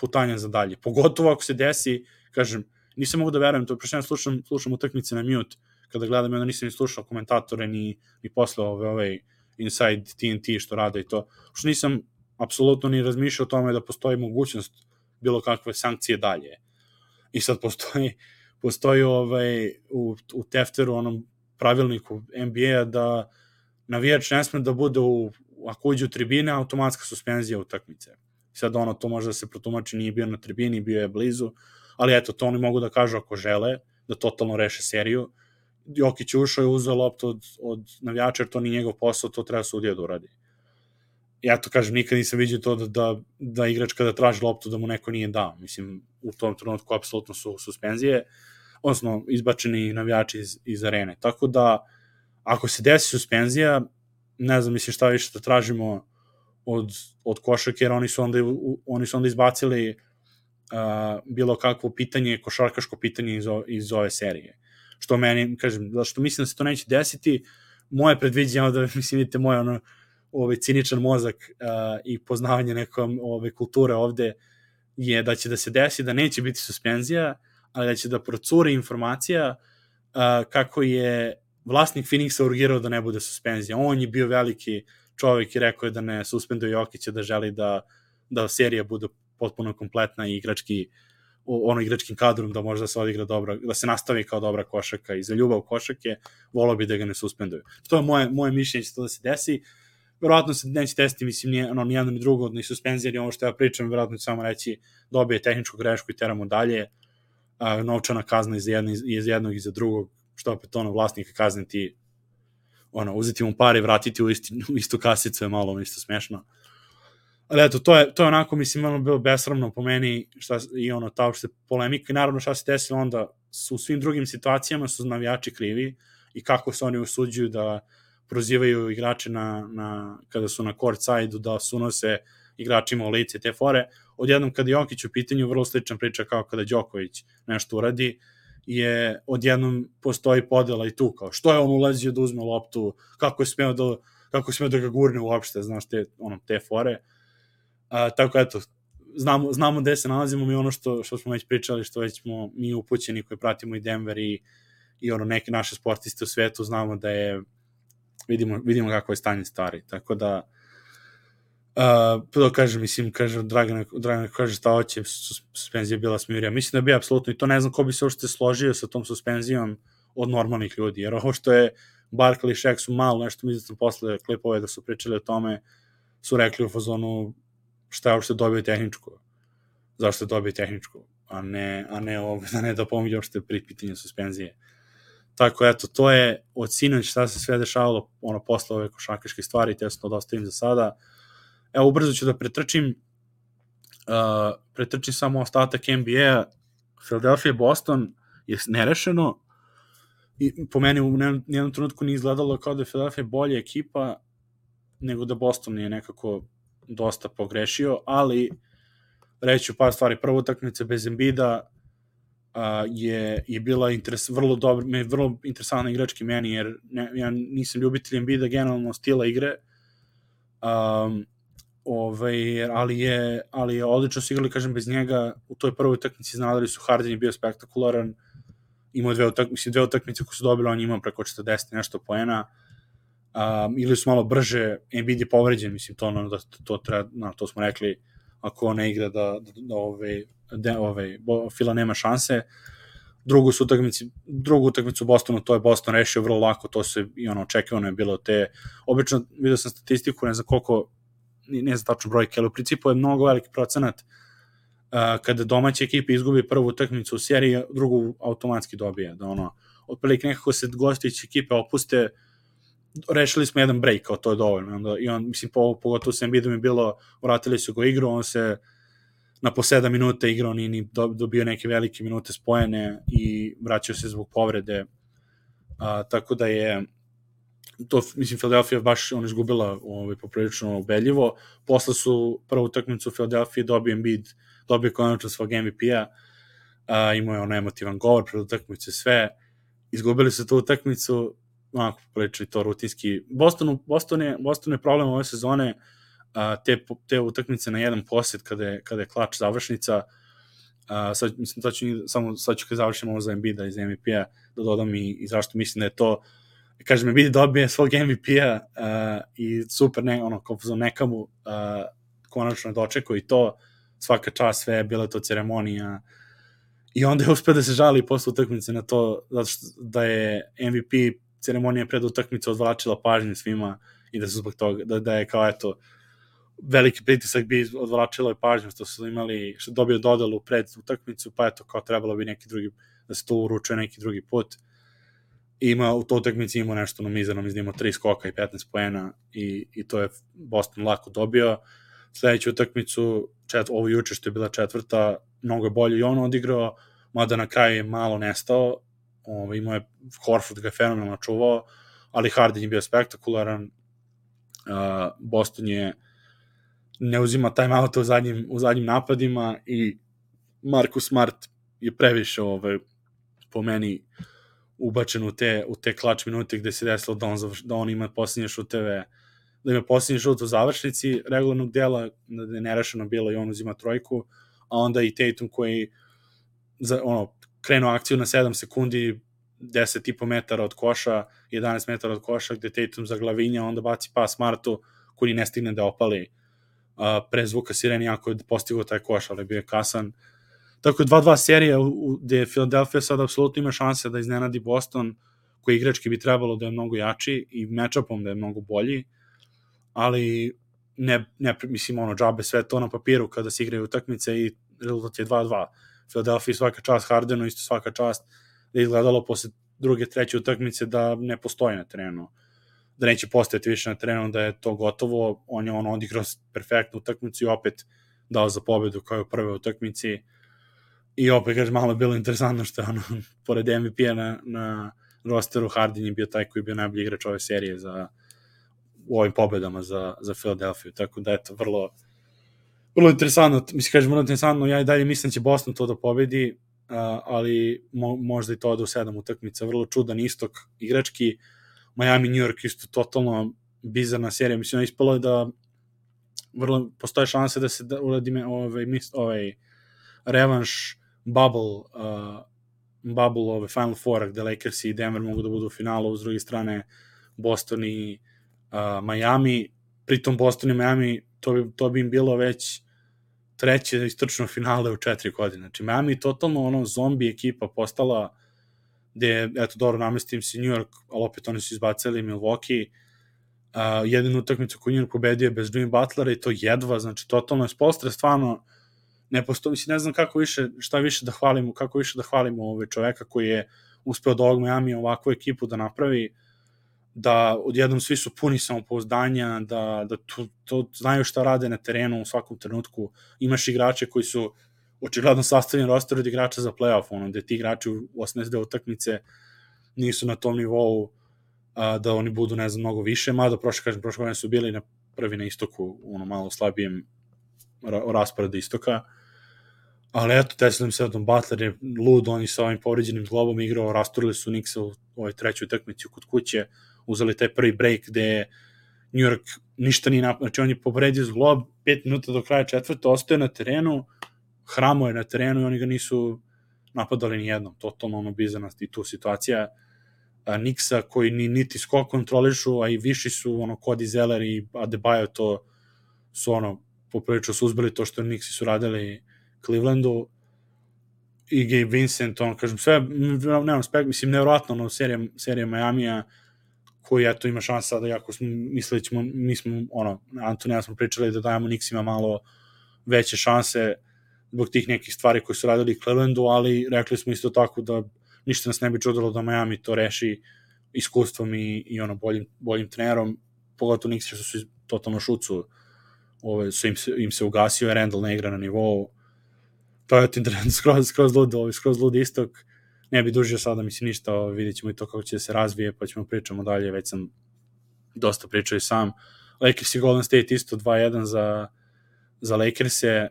putanja za dalje. Pogotovo ako se desi, kažem, nisam mogu da verujem, to prešljeno slušam, slušam utakmice na mute, kada gledam, onda nisam ni slušao komentatore, ni, ni posle ove, ovaj Inside T N T što rade i to. Što nisam apsolutno ni razmišljao o tome da postoji mogućnost bilo kakve sankcije dalje. I sad postoji, postoji ovaj, u, u tefteru, onom pravilniku N B A da navijač ne sme da bude u, ako uđe u tribine, automatska suspenzija utakmice. Sad ono, to može da se protumači, nije bio na tribini, bio je blizu, ali eto, to oni mogu da kažu ako žele, da totalno reše seriju. Jokić ušao i uzeo loptu od, od navijača, jer to nije njegov posao, to treba sudija da uradi. Ja to kažem, nikad nisam vidio to da, da, da igrač kada traži loptu da mu neko nije dao. Mislim, u tom trenutku apsolutno su suspenzije, odnosno izbačeni navijači iz, iz arene. Tako da, ako se desi suspenzija, ne znam, mislim šta više da tražimo od, od košarke, jer oni su onda, oni su onda izbacili uh, bilo kakvo pitanje, košarkaško pitanje iz, o, iz ove serije. Što meni, kažem, zašto mislim da se to neće desiti, moje predviđenje, da mislim, vidite, moj ono, ovaj ciničan mozak uh, i poznavanje nekom ove kulture ovde je da će da se desi da neće biti suspenzija, ali da će da procuri informacija uh, kako je vlasnik Phoenixa urgirao da ne bude suspenzija. On je bio veliki čovjek i rekao je da ne suspenduje Jokića, da želi da, da serija bude potpuno kompletna i igrački, ono igračkim kadrom da može da se odigra dobra, da se nastavi kao dobra košarka i za ljubav košarke, volao bi da ga ne suspenduju. To je moje, moje mišljenje će to da se desi. Verovatno se neće desiti, mislim, nije, ono, ni jedno ni drugo, ni suspenzija, ni ovo što ja pričam, verovatno ću samo reći dobije tehničku grešku i teramo dalje, a, novčana kazna iz jednog, iz jednog i za drugog, što opet ono, vlasnika kazniti, ono, uzeti mu pare i vratiti u, isti, u istu kasicu je malo isto smešno. Ali eto, to je, to je onako, mislim, ono bilo besramno po meni, šta, i ono, ta uopšte polemika, i naravno šta se desilo onda, su u svim drugim situacijama su navijači krivi i kako se oni usuđuju da prozivaju igrače na, na, kada su na court side-u, da sunose igračima u lice te fore. Odjednom kada Jokić u pitanju, vrlo slična priča kao kada Đoković nešto uradi, je odjednom postoji podela i tu, kao što je on ulazio da uzme loptu, kako je smeo da, kako je smeo da ga gurne uopšte, znaš, te, ono, te fore. A, tako eto, znamo, znamo gde se nalazimo, mi ono što, što smo već pričali, što već smo mi upućeni koji pratimo i Denver i, i ono, neke naše sportiste u svetu, znamo da je vidimo, vidimo kako je stanje stvari, tako da uh, to kažem, mislim, kaže Dragan, Dragan kaže šta hoće, suspenzija je bila smirija, mislim da bi apsolutno, i to ne znam ko bi se uopšte složio sa tom suspenzijom od normalnih ljudi, jer ovo što je Barkley i Shaq su malo nešto, mislim sam posle klipove da su pričali o tome, su rekli u fazonu šta je uopšte dobio tehničku, zašto je dobio tehničku, a ne, a ne, ovo, a ne da pomoći uopšte pri pitanju suspenzije. Tako, eto, to je od sinoć šta se sve dešavalo, ono, posle ove košarkaške stvari, te sam to dostavim za sada. Evo, ubrzo ću da pretrčim, uh, pretrčim samo ostatak N B A, Philadelphia Boston je nerešeno, i po meni u jednom trenutku nije izgledalo kao da je Philadelphia bolja ekipa nego da Boston je nekako dosta pogrešio, ali reći par stvari. Prva utakmica bez Embida uh, je, je bila interes, vrlo dobro, me vrlo interesantna igrački meni, jer ne, ja nisam ljubitelj Embida generalno stila igre, um, ovaj, ali, je, ali je odlično su igrali, kažem, bez njega. U toj prvoj utakmici znali su, Harden je bio spektakularan, imao dve utakmice, dve utakmice koje su dobili, on imao preko četrdeset nešto poena, um, ili su malo brže, Embiid je povređen, mislim, to, no, da, to, treba, no, to smo rekli, ako ne igra da, da, da ove, de, ove, Fila nema šanse. Drugu su utakmici, drugu utakmicu u Bostonu, to je Boston rešio vrlo lako, to se i ono očekivano je bilo te, obično vidio sam statistiku, ne znam koliko, ne znam tačno brojke, ali u principu je mnogo veliki procenat uh, kada domaća ekipa izgubi prvu utakmicu u seriji, drugu automatski dobije, da ono, otprilike nekako se gostiće ekipe opuste, rešili smo jedan break, kao to je dovoljno. Onda, i on, mislim, po, pogotovo sa Embiidom je bilo, vratili su go igru, on se na po sedam minuta igrao, nije ni dobio neke velike minute spojene i vraćao se zbog povrede. A, tako da je to, mislim, Philadelphia baš on izgubila ovaj, poprilično ubedljivo. Posle su prvu utakmicu u Philadelphia dobio Embiid, dobio konačno svog M V P-a, a, imao je ono emotivan govor pred utakmicu, sve. Izgubili su tu utakmicu, onako pričali to rutinski. Boston, Boston, je, Boston je problem ove sezone, a, te, te utakmice na jedan posjed kada je, kada je klač završnica. A, sad, mislim, sad ću, samo sad ću kad završim ovo za Embida iz M V P-a da dodam i, i zašto mislim da je to, kažem, Embiid dobije svog M V P-a a, i super, ne, ono, kao za nekamu a, konačno dočekao i to, svaka čast, sve je bila to ceremonija i onda je uspio da se žali posle utakmice na to, zato što da je M V P ceremonija pred utakmicu odvlačila pažnju svima i da su zbog toga, da, da je kao eto veliki pritisak bi odvlačilo je pažnju što su imali, što dobio dodelu pred utakmicu, pa eto kao trebalo bi neki drugi, da se to uručuje neki drugi put. I ima, u toj utakmici imao nešto na mizernom, iznimo tri skoka i petnaest poena i, i to je Boston lako dobio. Sledeću utakmicu, čet, ovo juče što je bila četvrta, mnogo je bolje i on odigrao, mada na kraju je malo nestao. Ovo, imao je, Horford ga je fenomenalno čuvao, ali Harden je bio spektakularan. Uh, Boston je ne uzima timeout u zadnjim, u zadnjim napadima i Marcus Smart je previše ovaj, po meni ubačen u te, u te klač minute gde se desilo da on, da on ima posljednje šuteve, da ima posljednji šut u završnici regularnog dela, da je nerešeno bilo i on uzima trojku, a onda i Tatum koji za, ono, krenuo akciju na sedam sekundi, deset i po metara od koša, jedanaest metara od koša, gde Tatum zaglavinja, onda baci pas Smartu, koji ne stigne da opali uh, pre zvuka sireni, ako je postigao taj koš, ali bio je kasan. Tako je dva dva serija gde Philadelphia sad apsolutno ima šanse da iznenadi Boston, koji igrački bi trebalo da je mnogo jači i matchupom da je mnogo bolji, ali ne, ne mislim, ono, džabe sve to na papiru kada se igraju utakmice i rezultat je dva dva. Philadelphia svaka čast, Hardenu isto svaka čast, da je izgledalo posle druge, treće utakmice da ne postoji na terenu, da neće postojati više na terenu, da je to gotovo. On je ono odigrao perfektnu utakmicu i opet dao za pobedu kao je u prve utakmici. I opet, kažem, malo je bilo interesantno što je ono, pored M V P-a na, na rosteru, Harden je bio taj koji je bio najbolji igrač ove serije za, u ovim pobedama za, za Philadelphia. Tako da, eto, vrlo, vrlo interesantno, mislim, kažem, vrlo interesantno, ja i dalje mislim da će Boston to da pobedi, uh, ali mo, možda i to ode u sedam utakmica, vrlo čudan istok igrački, Miami, New York isto totalno bizarna serija, mislim, ispalo je da vrlo, postoje šanse da se da uradi ovaj, ovaj revanš bubble, uh, bubble ove Final Four, gde Lakers i Denver mogu da budu u finalu, s druge strane Boston i uh, Miami, pritom Boston i Miami, to bi, to bi im bilo već treće istočno finale u četiri godine. Znači, Miami totalno ono zombi ekipa postala, gde, eto, dobro, namestim se New York, ali opet oni su izbacili Milwaukee, uh, jedinu utakmicu koju New York pobedio bez Jimmy Butlera i to jedva, znači, totalno je Spolstra stvarno ne postoji, mislim, ne znam kako više, šta više da hvalimo, kako više da hvalimo ove čoveka koji je uspeo od ovog Miami ovakvu ekipu da napravi, da odjednom svi su puni samopouzdanja, da, da to, to znaju šta rade na terenu u svakom trenutku. Imaš igrače koji su očigledno sastavljeni roster od igrača za playoff, ono, gde ti igrači u osamnaest utakmice nisu na tom nivou a, da oni budu, ne znam, mnogo više, mada prošle, kažem, prošle godine su bili na prvi na istoku, ono malo slabijem ra rasporedu istoka, ali eto, desilo im se Don Butler je lud, oni sa ovim povređenim zglobom igrao, rasturili su Knicksa u ovoj trećoj utakmici kod kuće, uzeli taj prvi break gde je New York ništa nije napravio, znači on je povredio zglob, pet minuta do kraja četvrta, ostaje na terenu, hramo je na terenu i oni ga nisu napadali ni jednom, totalno ono bizarnost i tu situacija Knicksa koji ni, niti skok kontrolišu, a i viši su ono Cody Zeller i Adebayo, to su ono poprilično su uzbili to što Knicksi su radili Clevelandu i Gabe Vincent, ono kažem sve, nemam spek, mislim nevjerojatno ono serija, serija Miamija koji eto ima šansa da jako smo mislili ćemo, mi smo ono, Antoni ja smo pričali da dajemo Knicksima malo veće šanse zbog tih nekih stvari koje su radili Clevelandu, ali rekli smo isto tako da ništa nas ne bi čudilo da Miami to reši iskustvom i, i ono boljim, boljim trenerom, pogotovo Knicksi što su totalno šucu, ove, su im, se, im se ugasio, je Randall ne igra na nivou, to je interesantno, skroz, skroz lud, ovaj, skroz lud istok, ne bi dužio sada, mislim ništa, ovaj, vidjet ćemo i to kako će se razvije, pa ćemo pričamo dalje, već sam dosta pričao i sam. Lakers i Golden State isto dva jedan za, za Lakers-e,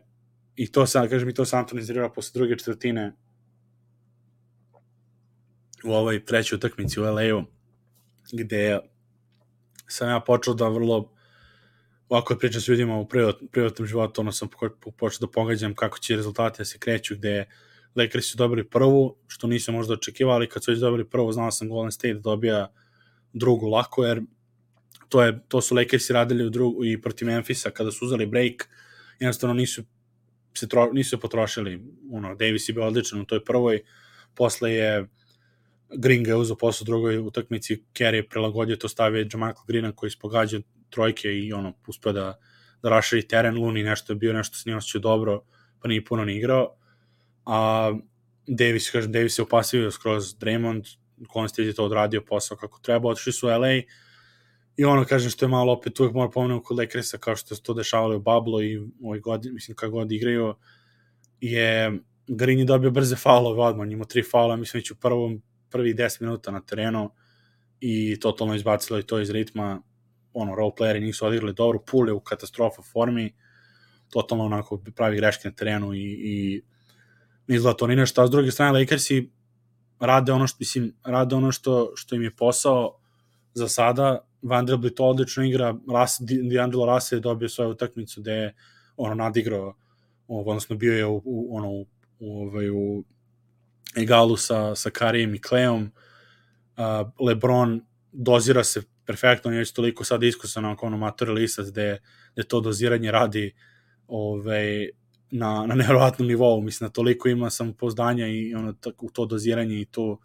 i to sam, kažem, i to sam Antoni izrirao posle druge četvrtine u ovoj trećoj utakmici u L A-u, gde sam ja počeo da vrlo ovako pričam s ljudima u privatnom životu, ono sam počeo da pogađam kako će rezultati da se kreću, gde Lakers su dobili prvu, što nisam možda očekivali, kad su već dobili prvu, znao sam Golden State da dobija drugu lako, jer to, je, to su Lakersi radili u drugu, i protiv Memphisa, kada su uzeli break, jednostavno nisu se, tro, nisu se potrošili, ono, Davis je bio odličan u toj prvoj, posle je Green ga je uzao posle drugoj utakmici, Kerry je prilagodio to, stavio Jamal Greena koji ispogađa trojke i ono, uspio da, da raširi teren. Looney nešto je bio, nešto se nije osjećao dobro, pa nije puno ni igrao. A Davis, kažem, Davis je upasivio skroz Draymond, Golden State je to odradio posao kako treba, otišli su u L A i ono, kažem, što je malo opet uvek mora pomenuti kod Lakersa, kao što se to dešavalo u Bablo i ovoj godini, mislim, kako god igraju, je Green je dobio brze faulove odmah, imao tri faula, mislim, već u prvom, prvi deset minuta na terenu i totalno izbacilo i to iz ritma, ono, roleplayeri nisu odigrali dobro, Poole je u katastrofa formi, totalno onako pravi greške na terenu i, i ne izgleda to ni nešto, a s druge strane Lakersi rade ono što, mislim, rade ono što, što im je posao za sada. Vanderbilt odlično igra, D'Angelo Russell je dobio svoju utakmicu gde je ono nadigrao, odnosno bio je u, u, ono, u, u, ovaj, u egalu sa, sa Karijem i Klejom. Uh, LeBron dozira se perfektno, on je već toliko sad iskusan na ono matori listac gde, gde to doziranje radi ovaj, na, na nevjerovatnom nivou, mislim da toliko ima samopouzdanja i ono, u to doziranje i to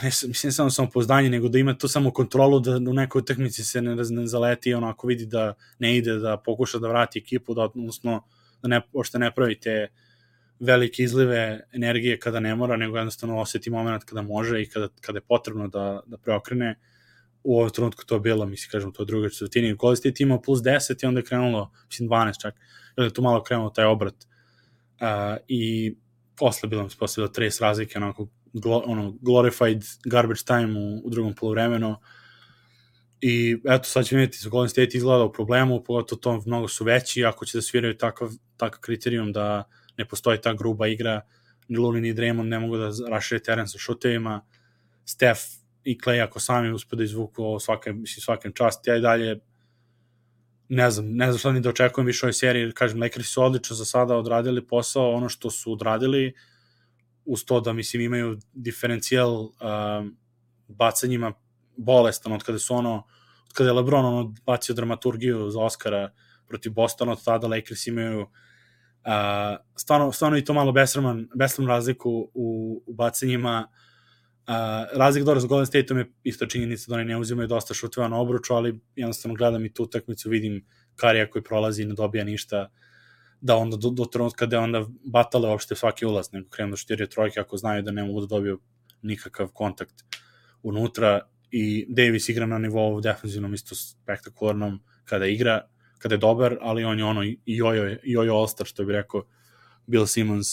ne, mislim samo samopouzdanje, nego da ima to samo kontrolu da u nekoj utakmici se ne, ne zaleti, ono, ako vidi da ne ide, da pokuša da vrati ekipu, da odnosno da ne, ošte ne pravi te velike izlive energije kada ne mora, nego jednostavno osjeti moment kada može i kada, kada je potrebno da, da preokrene. U ovom trenutku to je bilo, mislim, kažem, to je druga četvrtina. Golden State imao plus deset i onda je krenulo, mislim, dvanaest čak, i onda je tu malo krenulo taj obrat. Uh, I posle bilo, posle bilo trideset razlike, onako, glo, ono, glorified garbage time u, u drugom poluvremenu. I eto, sad ćemo vidjeti, Golden State izgleda u problemu, pogotovo to mnogo su veći, ako će da sviraju takav, takav kriterijum da ne postoji ta gruba igra, ni Looney ni Draymond ne mogu da rašire teren sa šutevima, Steph i Klay ako sami uspe da izvuku ovo svake, mislim, svakem čast, ja i dalje ne znam, ne znam šta ni da očekujem više ovoj seriji, kažem, Lakers su odlično za sada odradili posao, ono što su odradili, uz to da, mislim, imaju diferencijal uh, bacanjima bolestan, od kada su ono, od kada je LeBron ono bacio dramaturgiju za Oscara protiv Bostona, od tada Lakers imaju Uh, stvarno, stvarno i to malo besraman, besraman razliku u, u bacanjima. Uh, razlik dobro sa Golden State-om je isto činjenica da oni ne uzimaju dosta šuteva na obruču, ali jednostavno gledam i tu utakmicu, vidim Karija koji prolazi i ne dobija ništa, da onda do, do trenutka da onda batale uopšte svaki ulaz, nego krenu da štiraju trojke ako znaju da ne mogu da dobiju nikakav kontakt unutra. I Davis igra na nivou defensivnom isto spektakularnom kada igra, kada je dobar, ali on je ono i jojo, jojo all-star, što bi rekao Bill Simmons.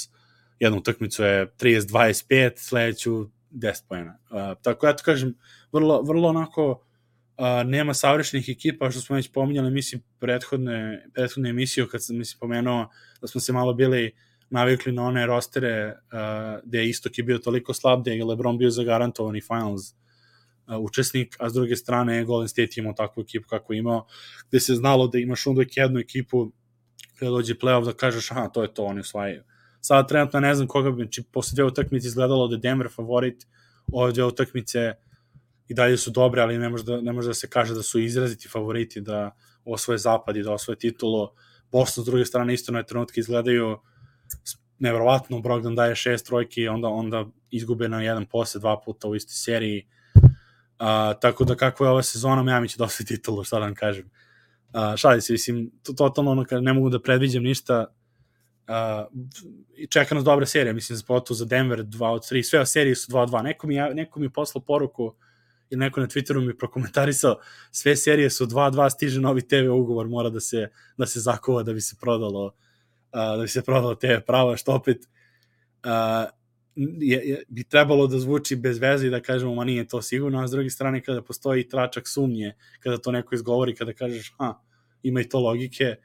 Jednu utakmicu je trideset dvadeset pet, sledeću deset poena. Uh, tako ja to kažem, vrlo, vrlo onako uh, nema savršenih ekipa, što smo već pominjali, mislim, prethodne, prethodne emisiju, kad sam, mislim, pomenuo da smo se malo bili navikli na one rostere uh, gde Istok je bio toliko slab, gde je LeBron bio zagarantovani finals uh, učesnik, a s druge strane Golden State imao takvu ekipu kako je imao, gde se znalo da imaš uvek jednu ekipu kada dođe playoff da kažeš, aha, to je to, oni osvajaju. Sada trenutno ne znam koga bi, či posle dve utakmice izgledalo da je Denver favorit, ove dve utakmice i dalje su dobre, ali ne može da, ne može da se kaže da su izraziti favoriti da osvoje zapad i da osvoje titulu. Boston s druge strane isto na trenutke izgledaju nevjerovatno, Brogdon daje šest trojki, onda, onda izgube na jedan posle dva puta u istoj seriji. Uh, tako da kako je ova sezona, Miami će da osvoji titulu, šta da vam kažem. Uh, šali se, mislim, to, totalno ono, ne mogu da predviđem ništa. Uh, i čeka nas dobra serija, mislim, za pogotovo za Denver dva od tri, sve serije su dva od dva. Neko mi, neko mi poslao poruku ili neko na Twitteru mi prokomentarisao, sve serije su dva od dva, stiže novi te ve ugovor, mora da se, da se zakova da bi se prodalo uh, da bi se prodalo te ve prava, što opet uh, je, je, bi trebalo da zvuči bez veze i da kažemo, ma nije to sigurno, a s druge strane kada postoji tračak sumnje, kada to neko izgovori, kada kažeš, ha, ima i to logike,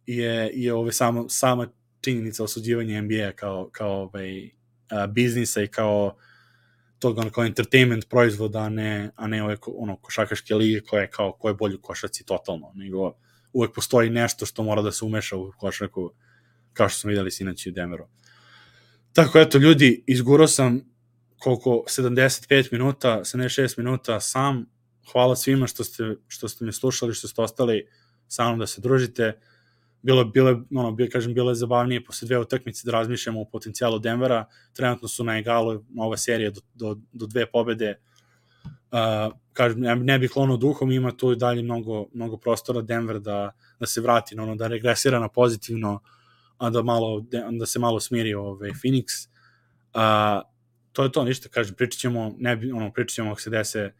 je, je ove samo, sama činjenica osuđivanja N B A kao, kao ovaj, a, biznisa i kao tog ono, kao entertainment proizvoda, a ne, a ne ove ono, košarkaške lige koje kao ko je bolji u košarci totalno, nego uvek postoji nešto što mora da se umeša u košarku, kao što smo videli sinoć u Denveru. Tako, eto, ljudi, izgurao sam koliko, sedamdeset pet minuta, sedamdeset šest minuta sam. Hvala svima što ste, što ste me slušali, što ste ostali sa mnom da se družite. Bilo, bilo, ono, bilo, kažem, bilo je zabavnije posle dve utakmice da razmišljamo o potencijalu Denvera. Trenutno su na egalu ova serija do, do, do dve pobede. Uh, kažem, ne bih klonuo duhom, ima tu i dalje mnogo, mnogo prostora Denver da, da se vrati, ono, da regresira na pozitivno, a da, malo, da se malo smiri ovaj Phoenix. Uh, to je to, ništa, kažem, pričat ćemo, ne bi, ono, pričat ćemo ako se dese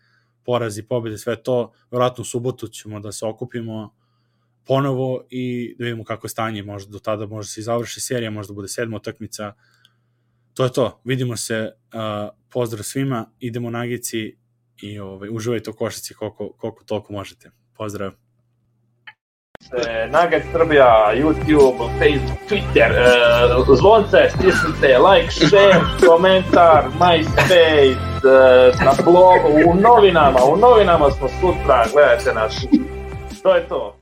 porazi, pobjede, sve to, vjerojatno u subotu ćemo da se okupimo ponovo i da vidimo kako je stanje, možda do tada možda se i završi serija, možda bude sedma utakmica. To je to, vidimo se, uh, pozdrav svima, idemo Nagici i ovaj, uživajte u košarci koliko, koliko toliko možete. Pozdrav. Nugget Srbija, YouTube, Facebook, Twitter, uh, zvonce, stisnite, like, share, komentar, MySpace, uh, na blogu, u novinama, u novinama smo sutra, gledajte nas. To je to.